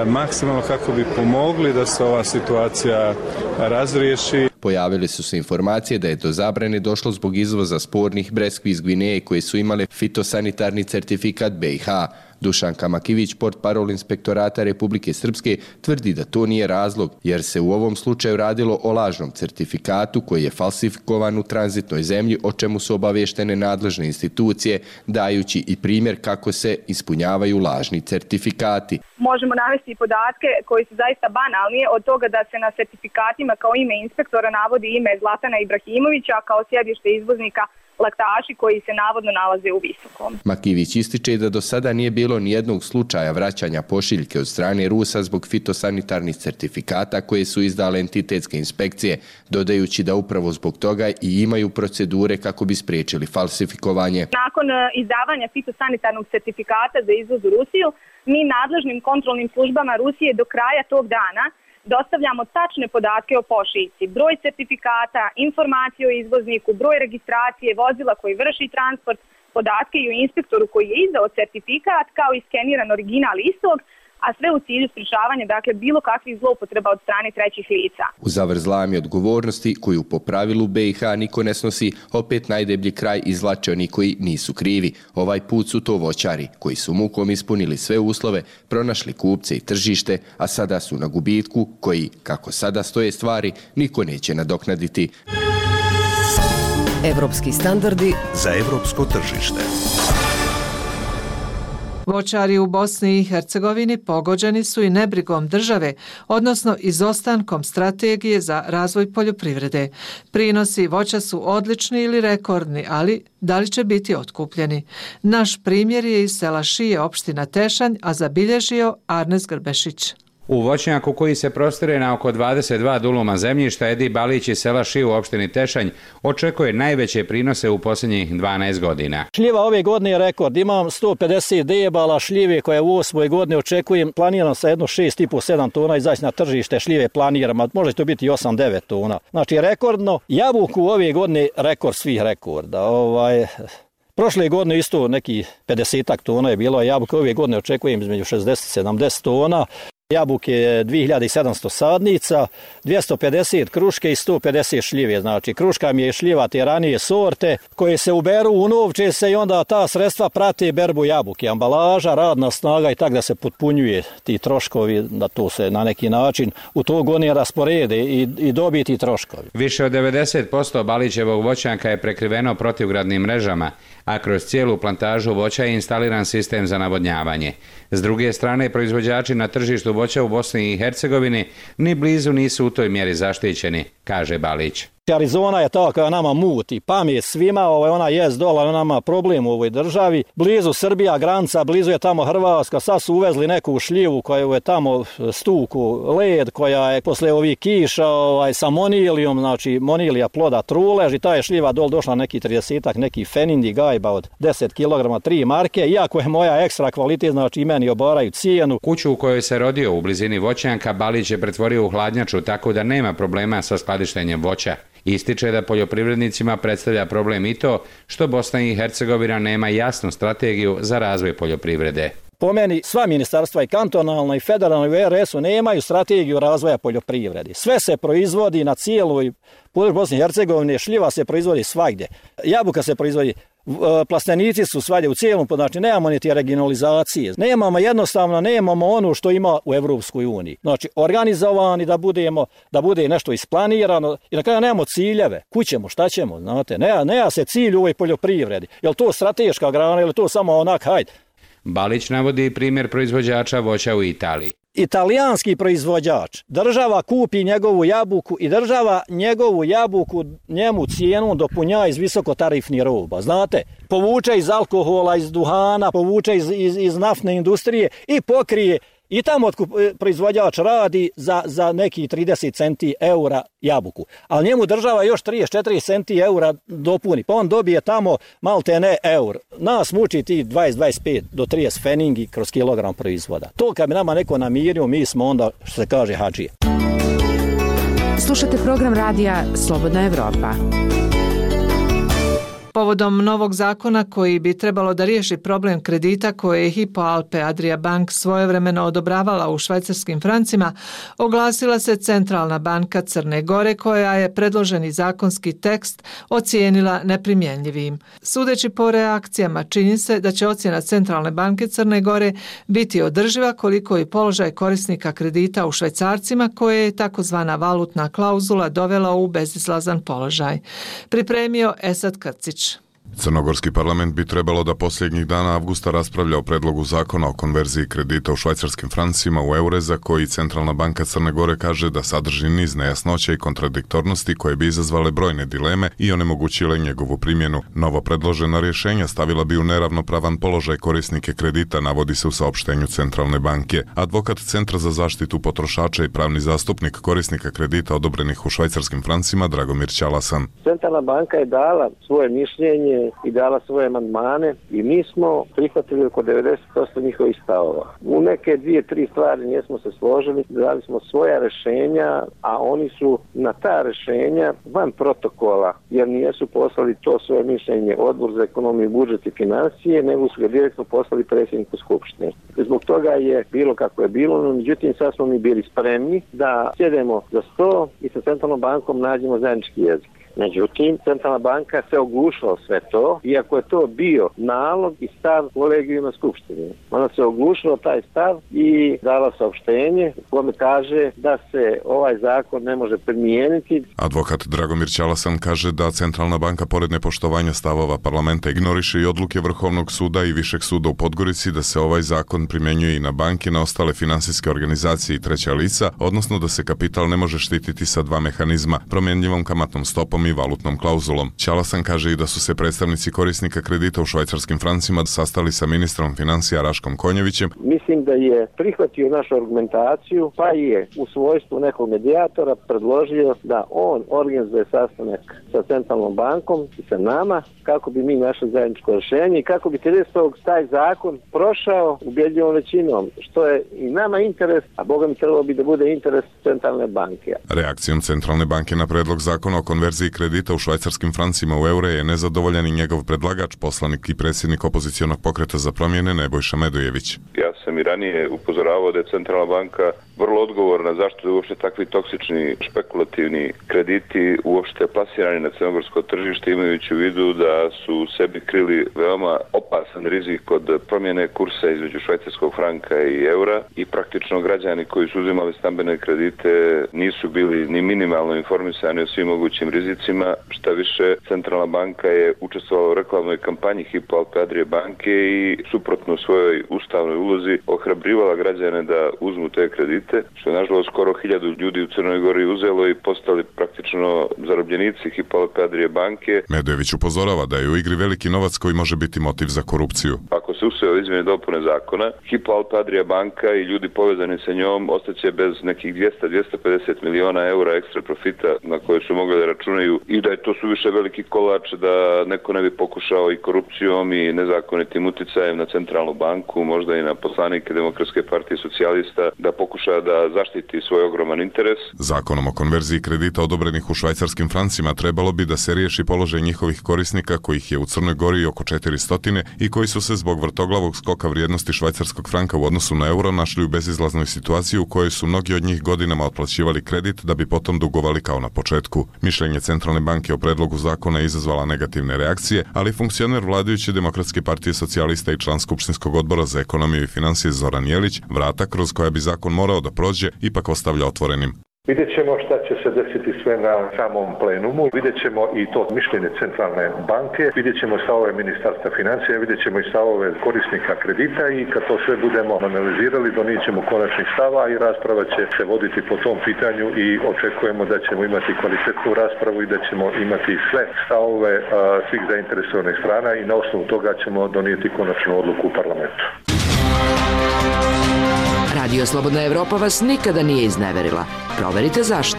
maksimalno kako bi pomogli da se ova situacija razriješi. Pojavile su se informacije da je do zabrane došlo zbog izvoza spornih breskvi iz Gvineje koje su imale fitosanitarni certifikat BiH. Dušanka Makivić, portparol Inspektorata Republike Srpske, tvrdi da to nije razlog, jer se u ovom slučaju radilo o lažnom certifikatu koji je falsifikovan u tranzitnoj zemlji, o čemu su obavještene nadležne institucije, dajući i primjer kako se ispunjavaju lažni certifikati. Možemo navesti podatke koji su zaista banalni, od toga da se na certifikatima kao ime inspektora navodi ime Zlatana Ibrahimovića kao sjedište izvoznika laktaši koji se navodno nalaze u Visokom. Makivić ističe da do sada nije bilo nijednog slučaja vraćanja pošiljke od strane Rusa zbog fitosanitarnih certifikata koje su izdale entitetske inspekcije, dodajući da upravo zbog toga i imaju procedure kako bi spriječili falsifikovanje. Nakon izdavanja fitosanitarnog certifikata za izvoz u Rusiju, mi nadležnim kontrolnim službama Rusije do kraja tog dana dostavljamo tačne podatke o pošiljci, broj certifikata, informacije o izvozniku, broj registracije, vozila koji vrši transport, podatke i o inspektoru koji je izdao certifikat, kao i skeniran original istog, a sve u cilju sprječavanja bilo kakvih zloupotreba od strane trećih lica. U zavrzlami odgovornosti, koju po pravilu BiH niko ne snosi, opet najdeblji kraj izvlače oni koji nisu krivi. Ovaj put su to voćari, koji su mukom ispunili sve uslove, pronašli kupce i tržište, a sada su na gubitku koji, kako sada stoje stvari, niko neće nadoknaditi. Evropski standardi za evropsko tržište. Voćari u Bosni i Hercegovini pogođeni su i nebrigom države, odnosno izostankom strategije za razvoj poljoprivrede. Prinosi voća su odlični ili rekordni, ali da li će biti otkupljeni? Naš primjer je iz sela Šije, opština Tešanj, a zabilježio Arnes Grbešić. U voćnjaku koji se prostire na oko 22 duluma zemljišta, Edi Balić iz sela Šiju u opštini Tešanj očekuje najveće prinose u posljednjih 12 godina. Šljiva ove godine je rekord. Imam 150 debala šljive koje u 8. godine očekujem. Planiram sa jedno 6,5-7 tona izaći na tržište šljive planiram, a može to biti 8-9 tona. Znači rekordno. Jabuku ove godine rekord svih rekorda. Prošle godine isto neki 50 tona je bilo, a jabuke ove godine očekujem između 60-70 tona. Jabuke 2700 sadnica, 250 kruške i 150 šljive. Znači, kruška mi je šljiva te ranije sorte koje se uberu, unovče se i onda ta sredstva prate berbu jabuke. Ambalaža, radna snaga i tako da se potpunjuje ti troškovi, da to se na neki način u to godine rasporede i dobiti troškovi. Više od 90% Balićevog voćnjaka je prekriveno protivgradnim mrežama, a kroz cijelu plantažu voća je instaliran sistem za navodnjavanje. S druge strane, proizvođači na tržištu voća u Bosni i Hercegovini ni blizu nisu u toj mjeri zaštićeni, kaže Balić. Arizona je ta koja nama muti, pamet svima, ona jest dola, ona nama problem u ovoj državi. Blizu Srbija, granica, blizu je tamo Hrvatska, sad su uvezli neku šljivu koja je tamo stuku, led, koja je posle ovih kiša sa monilijom, znači monilija ploda trulež i ta je šljiva došla neki 30-ak, neki fenindi gajba od 10 kg, 3 marke, iako je moja ekstra kvalitet, znači i meni obaraju cijenu. Kuću u kojoj se rodio u blizini voćnjaka Balić je pretvorio u hladnjaču, tako da nema problema sa skladištenjem voća. Ističe da poljoprivrednicima predstavlja problem i to što Bosna i Hercegovina nema jasnu strategiju za razvoj poljoprivrede. Po meni sva ministarstva i kantonalna i federalna i u RS-u nemaju strategiju razvoja poljoprivrede. Sve se proizvodi na cijeloj području Bosne i Hercegovine, šljiva se proizvodi svagdje, jabuka se proizvodi, plastenici su svagdje u cijelom, znači nemamo ni te regionalizacije. Nemamo ono što ima u Evropskoj uniji. Znači organizovani da bude nešto isplanirano i na kraju nemamo ciljeve. Kućemo, šta ćemo, znate, nema se cilj u ovoj poljoprivredi. Je li to strateška grana ili to samo onak, hajde. Balić navodi primjer proizvođača voća u Italiji. Italijanski proizvođač, država kupi njegovu jabuku i država njegovu jabuku njemu cijenu dopunja iz visokotarifnih roba. Znate, povuče iz alkohola, iz duhana, povuče iz naftne industrije i pokrije. I tamo proizvođač radi za neki 30 centi eura jabuku. Ali njemu država još 34 centi eura dopuni. Pa on dobije tamo malte ne eur. Nas muči ti 20-25 do 30 feningi kroz kilogram proizvoda. To kad bi nama neko namirio, mi smo onda, što se kaže, hadžije. Slušate program radija Slobodna Evropa. Povodom novog zakona koji bi trebalo da riješi problem kredita koje je Hypo Alpe Adria Bank svojevremeno odobravala u švajcarskim francima, oglasila se Centralna banka Crne Gore koja je predloženi zakonski tekst ocijenila neprimjenjivim. Sudeći po reakcijama, čini se da će ocjena Centralne banke Crne Gore biti održiva koliko i položaj korisnika kredita u švajcarcima koje je takozvana valutna klauzula dovela u bezizlazan položaj. Pripremio Esad Krcić. Crnogorski parlament bi trebalo da posljednjih dana avgusta raspravlja o predlogu zakona o konverziji kredita u švajcarskim francima u eure za koji Centralna banka Crne Gore kaže da sadrži niz nejasnoća i kontradiktornosti koje bi izazvale brojne dileme i onemogućile njegovu primjenu. Novo predložena rješenja stavila bi u neravnopravan položaj korisnike kredita, navodi se u saopštenju Centralne banke. Advokat Centra za zaštitu potrošača i pravni zastupnik korisnika kredita odobrenih u švajcarskim francima Dragomir Ćalasan. Centralna banka je dala svoje mišljenje i dala svoje amandmane i mi smo prihvatili oko 90% njihovih stavova. U neke 2-3 stvari nismo se složili, dali smo svoja rješenja, a oni su na ta rješenja van protokola, jer nisu poslali to svoje mišljenje Odbor za ekonomiju, budžet i financije, nego su ga direktno poslali predsjedniku Skupštine. Zbog toga je bilo kako je bilo, no međutim sad smo mi bili spremni da sjedemo za sto i sa Centralnom bankom nađemo zajednički jezik. Međutim, Centralna banka se oglušila sve to, iako je to bio nalog i stav kolegijuma Skupštine. Ona se oglušila taj stav i dala saopštenje u kome kaže da se ovaj zakon ne može primijeniti. Advokat Dragomir Ćalasan kaže da Centralna banka pored nepoštovanja stavova parlamenta ignoriše i odluke Vrhovnog suda i Višeg suda u Podgorici da se ovaj zakon primjenjuje i na banke, na ostale finansijske organizacije i treća lica, odnosno da se kapital ne može štititi sa dva mehanizma, promjenjivom kamatnom stopom i valutnom klauzulom. Ćalasan kaže i da su se predstavnici korisnika kredita u švajcarskim francima sastali sa ministrom financija Raškom Konjevićem. Mislim da je prihvatio našu argumentaciju, pa je u svojstvu nekog medijatora predložio da on organizuje sastanak sa Centralnom bankom i sa nama, kako bi mi našli zajedničko rješenje i kako bi 30. taj zakon prošao ubjedljivom većinom, što je i nama interes, a Boga mi trebalo bi da bude interes Centralne banke. Reakcijom Centralne banke na predlog zakona o konverziji kredita u švajcarskim francima u eure je nezadovoljan i njegov predlagač, poslanik i predsjednik opozicionog pokreta za promjene Nebojša Medojević. Ja sam i ranije upozoravao da je Centralna banka vrlo odgovorna zašto je uopšte takvi toksični špekulativni krediti uopšte plasirani na crnogorsko tržište, imajući u vidu da su sebi krili veoma opasan rizik od promjene kursa između švajcarskog franka i eura i praktično građani koji su uzimali stambene kredite nisu bili ni minimalno informisani o svim mogućim rizicima. Šta više, Centralna banka je učestvovala u reklamnoj kampanji Hypo Alpe Adria banke i suprotno svojoj ustavnoj ulozi ohrabrivala građane da uzmu te kredite, što je nažalost skoro 1000 ljudi u Crnoj Gori uzelo i postali praktično zarobljenici Hypo Alpe Adria banke. Medojević upozorava da je u igri veliki novac koji može biti motiv za korupciju. Ako se usvoje izmjene i dopune zakona, Hypo Alpe Adria banka i ljudi povezani sa njom ostaće bez nekih 200-250 miliona eura ekstra profita na koje su mogli da računaju i da je to suviše veliki kolač da neko ne bi pokušao i korupcijom i nezakonitim uticajem na Centralnu banku, možda i na poslanike Demokratske partije socijalista, da pokuša da zaštiti svoj ogroman interes. Zakonom o konverziji kredita odobrenih u švajcarskim francima trebalo bi da se riješi položaj njihovih korisnika, kojih je u Crnoj Gori oko 400 i koji su se zbog vrtoglavog skoka vrijednosti švajcarskog franka u odnosu na euro našli u bezizlaznoj situaciji u kojoj su mnogi od njih godinama otplaćivali kredit da bi potom dugovali kao na početku. Mišljenje Centralne banke o predlogu zakona je izazvala negativne reakcije, ali funkcioner vladajuće Demokratske partije socijalista i član Skupštinskog odbora za ekonomiju i financije Zoran Jelić vrata kroz koja bi zakon morao da prođe ipak ostavlja otvorenim. Vidjet ćemo šta će se desiti sve na samom plenumu, vidjet ćemo i to mišljenje Centralne banke, vidjet ćemo stavove Ministarstva financija, vidjet ćemo i stavove korisnika kredita i kad to sve budemo analizirali, donijet ćemo konačni stava i rasprava će se voditi po tom pitanju i očekujemo da ćemo imati kvalitetnu raspravu i da ćemo imati sve stavove svih zainteresovanih strana i na osnovu toga ćemo donijeti konačnu odluku u parlamentu. Radio Slobodna Evropa vas nikada nije izneverila. Proverite zašto.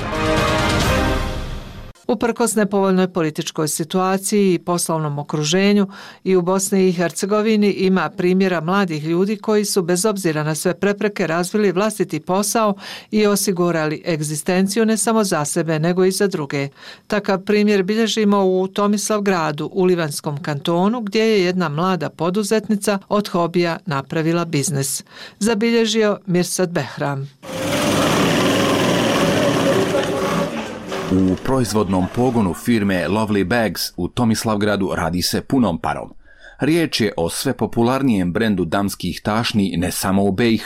Uprkos nepovoljnoj političkoj situaciji i poslovnom okruženju i u Bosni i Hercegovini ima primjera mladih ljudi koji su bez obzira na sve prepreke razvili vlastiti posao i osigurali egzistenciju ne samo za sebe nego i za druge. Takav primjer bilježimo u Tomislavgradu u Livanskom kantonu gdje je jedna mlada poduzetnica od hobija napravila biznis. Zabilježio Mirsad Behram. U proizvodnom pogonu firme Lovely Bags u Tomislavgradu radi se punom parom. Riječ je o sve popularnijem brendu damskih tašni ne samo u BiH,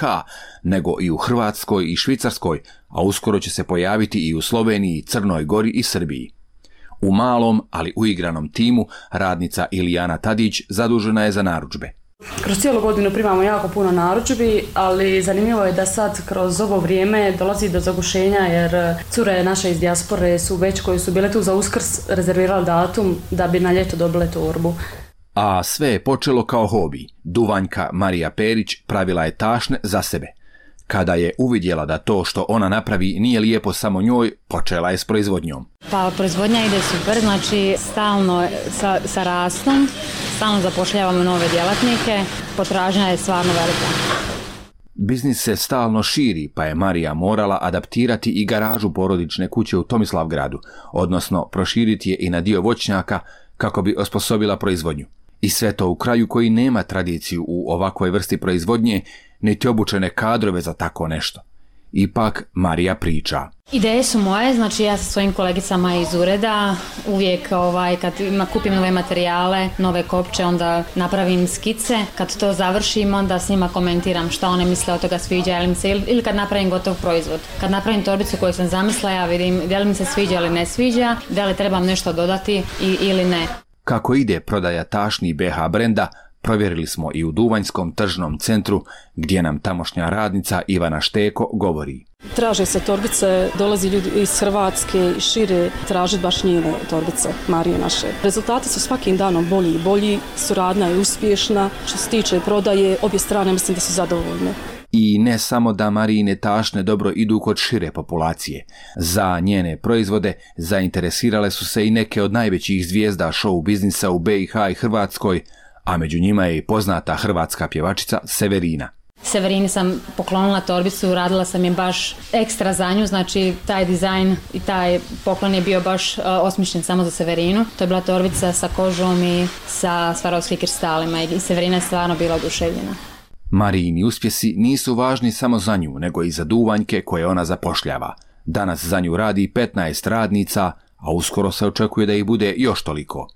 nego i u Hrvatskoj i Švicarskoj, a uskoro će se pojaviti i u Sloveniji, Crnoj Gori i Srbiji. U malom, ali uigranom timu, radnica Ilijana Tadić zadužena je za narudžbe. Kroz cijelu godinu primamo jako puno narudžbi, ali zanimljivo je da sad kroz ovo vrijeme dolazi do zagušenja jer cure naše iz dijaspore su već koji su bile tu za Uskrs rezervirali datum da bi na ljeto dobile torbu. A sve je počelo kao hobi. Duvanjka Marija Perić pravila je tašne za sebe. Kada je uvidjela da to što ona napravi nije lijepo samo njoj, počela je s proizvodnjom. Pa proizvodnja ide super, znači stalno sa rastom, stalno zapošljavamo nove djelatnike, potražnja je stvarno velika. Biznis se stalno širi, pa je Marija morala adaptirati i garažu porodične kuće u Tomislavgradu, odnosno proširiti je i na dio voćnjaka kako bi osposobila proizvodnju. I sve to u kraju koji nema tradiciju u ovakvoj vrsti proizvodnje, niti obučene kadrove za tako nešto. Ipak Marija priča. Ideje su moje, znači ja sa svojim kolegicama iz ureda uvijek kad kupim nove materijale, nove kopče, onda napravim skice. Kad to završim, onda s njima komentiram šta one misle od toga sviđa ili kad napravim gotov proizvod. Kad napravim torbicu koju sam zamislila, ja vidim da li mi se sviđa ili ne sviđa, da li trebam nešto dodati ili ne. Kako ide prodaja tašni BH brenda, provjerili smo i u Duvanjskom tržnom centru, gdje nam tamošnja radnica Ivana Šteko govori. Traže se torbice, dolazi ljudi iz Hrvatske i šire traže baš njene torbice, Marije naše. Rezultati su svakim danom bolji i bolji, suradnja je uspješna, što se tiče prodaje, obje strane mislim da su zadovoljne. I ne samo da Marijine tašne dobro idu kod šire populacije. Za njene proizvode zainteresirale su se i neke od najvećih zvijezda show biznisa u BiH i Hrvatskoj, a među njima je i poznata hrvatska pjevačica Severina. Severini sam poklonila torbicu, radila sam je baš ekstra za nju, znači taj dizajn i taj poklon je bio baš osmišljen samo za Severinu. To je bila torbica sa kožom i sa Swarovski kristalima i Severina je stvarno bila oduševljena. Marijini uspjesi nisu važni samo za nju, nego i za Duvanjke koje ona zapošljava. Danas za nju radi 15 radnica, a uskoro se očekuje da ih bude još toliko.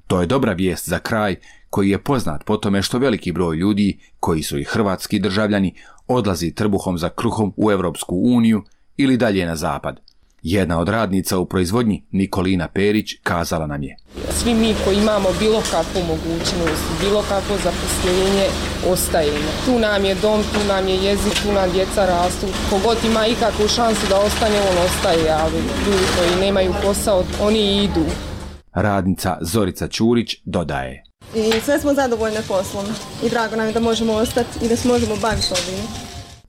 To je dobra vijest za kraj koji je poznat po tome što veliki broj ljudi, koji su i hrvatski državljani, odlazi trbuhom za kruhom u Europsku uniju ili dalje na zapad. Jedna od radnica u proizvodnji, Nikolina Perić, kazala nam je. Svi mi koji imamo bilo kakvu mogućnost, bilo kakvo zaposlenje, ostajemo. Tu nam je dom, tu nam je jezik, tu nam djeca rastu. Kogod ima ikakvu šansu da ostane, on ostaje, ali ljudi koji nemaju posao, oni idu. Radnica Zorica Ćurić dodaje. I sve smo zadovoljne poslom i drago nam je da možemo ostati i da se možemo baviti ovim.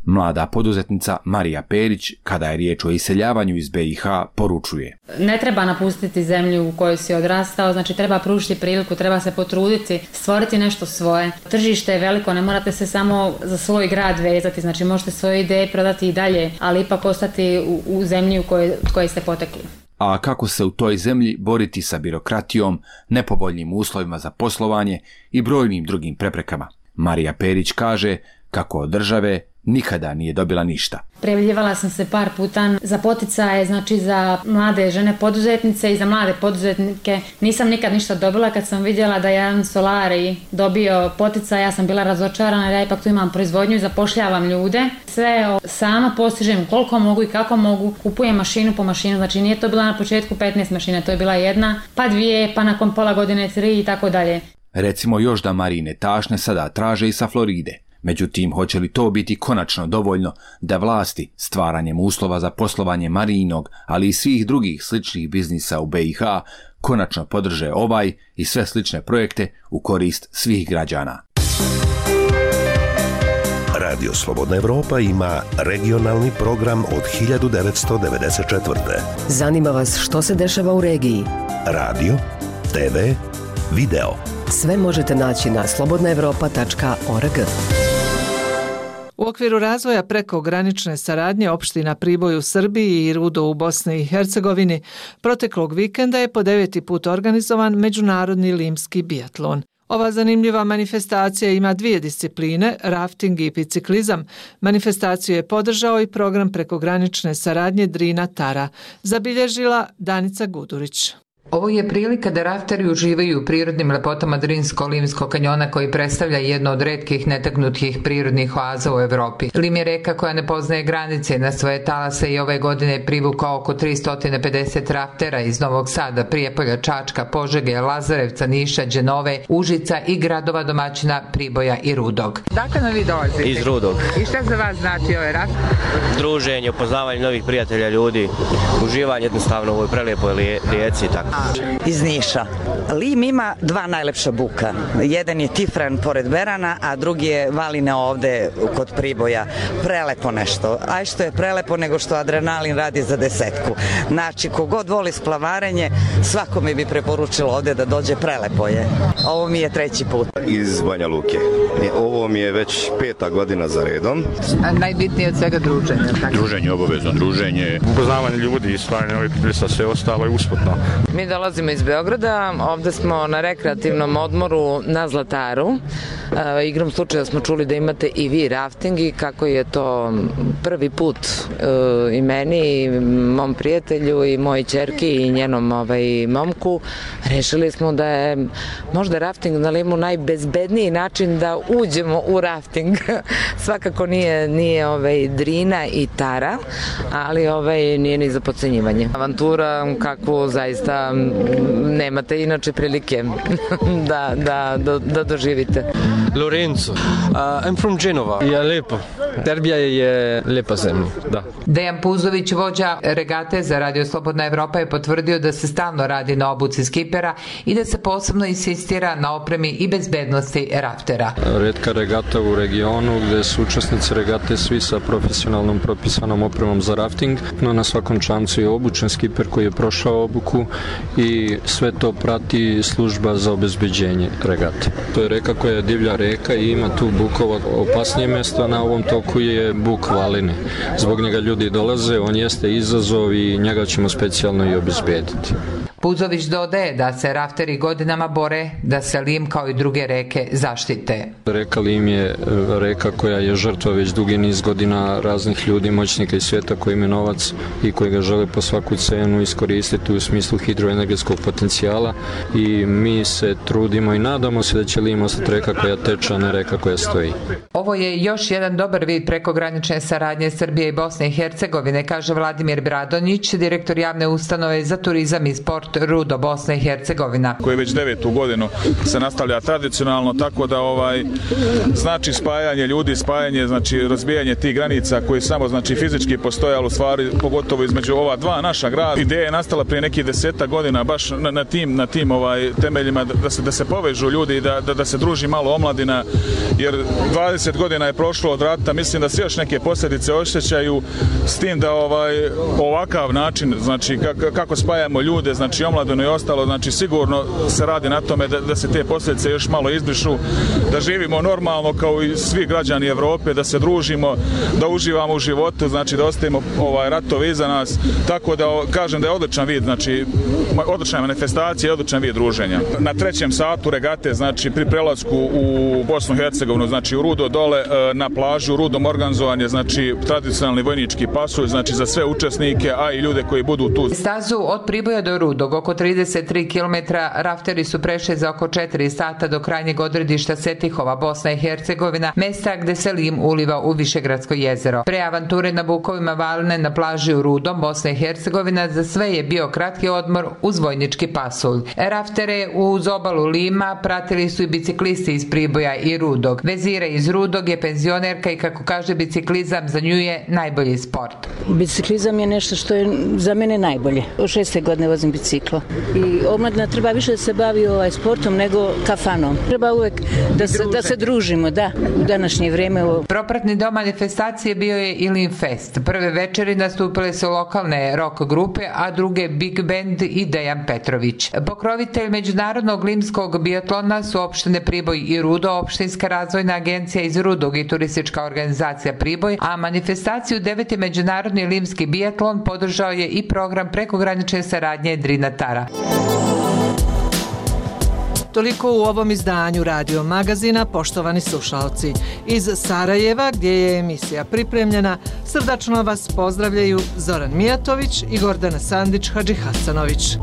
Mlada poduzetnica Marija Perić, kada je riječ o iseljavanju iz BiH, poručuje. Ne treba napustiti zemlju u kojoj si odrastao, znači treba pružiti priliku, treba se potruditi, stvoriti nešto svoje. Tržište je veliko, ne morate se samo za svoj grad vezati, znači možete svoje ideje prodati i dalje, ali ipak ostati u zemlji u kojoj ste potekli. A kako se u toj zemlji boriti sa birokratijom, nepovoljnim uslovima za poslovanje i brojnim drugim preprekama? Marija Perić kaže kako od države nikada nije dobila ništa. Prijavljivala sam se par puta za poticaje, znači za mlade žene poduzetnice i za mlade poduzetnike. Nisam nikad ništa dobila. Kad sam vidjela da je jedan Solari dobio poticaj, ja sam bila razočarana jer ja ipak tu imam proizvodnju i zapošljavam ljude. Sve sama postižem koliko mogu i kako mogu. Kupujem mašinu po mašinu, znači nije to bila na početku 15 mašina, to je bila jedna, pa 2, pa nakon pola godine 3 i tako dalje. Recimo još da Marijine tašne sada traže i sa Floride. Međutim, hoće li to biti konačno dovoljno da vlasti stvaranjem uslova za poslovanje Marijinog, ali i svih drugih sličnih biznisa u BiH, konačno podrže ovaj i sve slične projekte u korist svih građana. Radio Slobodna Evropa ima regionalni program od 1994. Zanima vas što se dešava u regiji? Radio, TV, video. Sve možete naći na slobodnaevropa.org. U okviru razvoja prekogranične saradnje opština Priboj u Srbiji i Rudo u Bosni i Hercegovini, proteklog vikenda je po 9. put organizovan Međunarodni limski biatlon. Ova zanimljiva manifestacija ima dvije discipline, rafting i biciklizam. Manifestaciju je podržao i program prekogranične saradnje Drina-Tara, zabilježila Danica Gudurić. Ovo je prilika da rafteri uživaju u prirodnim lepotama Drinsko-Limskog kanjona koji predstavlja jedno od retkih netaknutih prirodnih oaza u Evropi. Lim je reka koja ne poznaje granice, na svoje talase i ove godine privukao oko 350 raftera iz Novog Sada, Prijepolja, Čačka, Požege, Lazarevca, Niša, Đenove, Užica i gradova domaćina Priboja i Rudog. Dakle nam vi dolazite? Iz Rudog. I šta za vas znači ovaj raft? Druženje, upoznavanje novih prijatelja, ljudi, uživanje jednostavno u ovoj prelijepoj rijeci i tako. Iz Niša. Lim ima dva najlepša buka. Jedan je Tifran pored Berana, a drugi je Valine ovde kod Priboja. Prelepo nešto. Aj što je prelepo nego što adrenalin radi za desetku. Znači, kogod voli splavarenje, svakome bi preporučilo ovde da dođe, prelepo je. Ovo mi je 3. put. Iz Banja Luke. Ovo mi je već 5. godina za redom. A najbitnije od svega druženje. Druženje, obavezno druženje. Upoznavanje ljudi, stvaranje novih prilisa, sve ostalo je usputno. Mi dolazimo iz Beograda, ovde smo na rekreativnom odmoru na Zlataru. Igrom slučaja smo čuli da imate i vi rafting i kako je to prvi put i meni, i mom prijatelju, i mojoj ćerki i njenom momku. Rešili smo da je možda rafting na Limu najbezbedniji način da uđemo u rafting. Svakako nije Drina i Tara, ali nije ni za podcenjivanje. Avantura kakvu zaista nemate inače prilike da doživite. Lorenzo, I'm from Genova. Je lepo. Serbija je lepa zemlja, da. Dejan Puzović, vođa regate za Radio Slobodna Evropa, je potvrdio da se stalno radi na obuci skipera i da se posebno insistira na opremi i bezbednosti raftera. Retka regata u regionu gde su učesnici regate svi sa profesionalnom propisanom opremom za rafting, no na svakom čamcu je obučen skiper koji je prošao obuku i sve to prati služba za obezbeđenje regate. To je reka koja je divlja reka i ima tu bukova. Opasnije mjesto na ovom toku je buk Valine. Zbog njega ljudi dolaze, on jeste izazov i njega ćemo specijalno i obezbediti. Puzović dodaje da se rafteri godinama bore da se Lim kao i druge reke zaštite. Reka Lim je reka koja je žrtva već dugi niz godina raznih ljudi, moćnika iz svijeta koji imaju novac i koji ga žele po svaku cenu iskoristiti u smislu hidroenergetskog potencijala i mi se trudimo i nadamo se da će Lim ostati reka koja teče, a ne reka koja stoji. Ovo je još jedan dobar vid prekogranične saradnje Srbije i Bosne i Hercegovine, kaže Vladimir Bradonjić, direktor javne ustanove za turizam i sport Rudo, Bosna i Hercegovina. Koji već 9. godinu se nastavlja tradicionalno, tako da znači spajanje ljudi, spajanje, znači razbijanje tih granica koji samo znači fizički postoje, ali u stvari pogotovo između ova dva naša grada. Ideja je nastala prije nekih 10 godina baš na tim temeljima da se povežu ljudi i da se druži malo omladina, jer 20 godina je prošlo od rata, mislim da se još neke posljedice osjećaju, s tim da ovakav način, znači kako spajamo ljude, znači omladinu i ostalo, znači sigurno se radi na tome da se te posljedice još malo izbrišu, da živimo normalno kao i svi građani Evrope, da se družimo, da uživamo u životu, znači da ostavimo ratove iza nas, tako da kažem da je odličan vid, znači odlična manifestacija i odličan vid druženja. Na 3. satu regate, znači pri prelasku u Bosnu i Hercegovinu, znači u Rudo dole na plažu, u Rudom organizovan je, znači tradicionalni vojnički pasulj, znači za sve učesnike, a i ljude koji budu tu. Stazu od Priboja do Rudog, oko 33 km, rafteri su prešli za oko 4 sata do krajnjeg odredišta Setihova, Bosna i Hercegovina, mesta gde se Lim uliva u Višegradsko jezero. Pre avanture na bukovima Valine na plaži u Rudom, Bosna i Hercegovina, za sve je bio kratki odmor uz vojnički pasulj. Raftere uz obalu Lima pratili su i biciklisti iz Priboja i Rudog. Vezira iz Rudog je penzionerka i kako kaže biciklizam za nju je najbolji sport. Biciklizam je nešto što je za mene najbolje. Od 6. godine vozim biciklo. I omladina treba više da se bavi sportom nego kafanom. Treba uvek da se družimo, u današnje vrijeme. Propratni dom manifestacije bio je i Lim Fest. Prve večeri nastupile su lokalne rock grupe, a druge Big Band i Dejan Petrović. Pokrovitelj međunarodnog limskog biatlona su opštine Priboj i Rudo, opštinska razvojna agencija iz Rudog i turistička organizacija Priboj, a manifestaciju 9. međunarodni limski biatlon podržao je i program prekogranične saradnje Drina Tara. Toliko u ovom izdanju Radio Magazina, poštovani slušalci. Iz Sarajeva, gdje je emisija pripremljena, srdačno vas pozdravljaju Zoran Mijatović i Gordana Sandić-Hadžihasanović.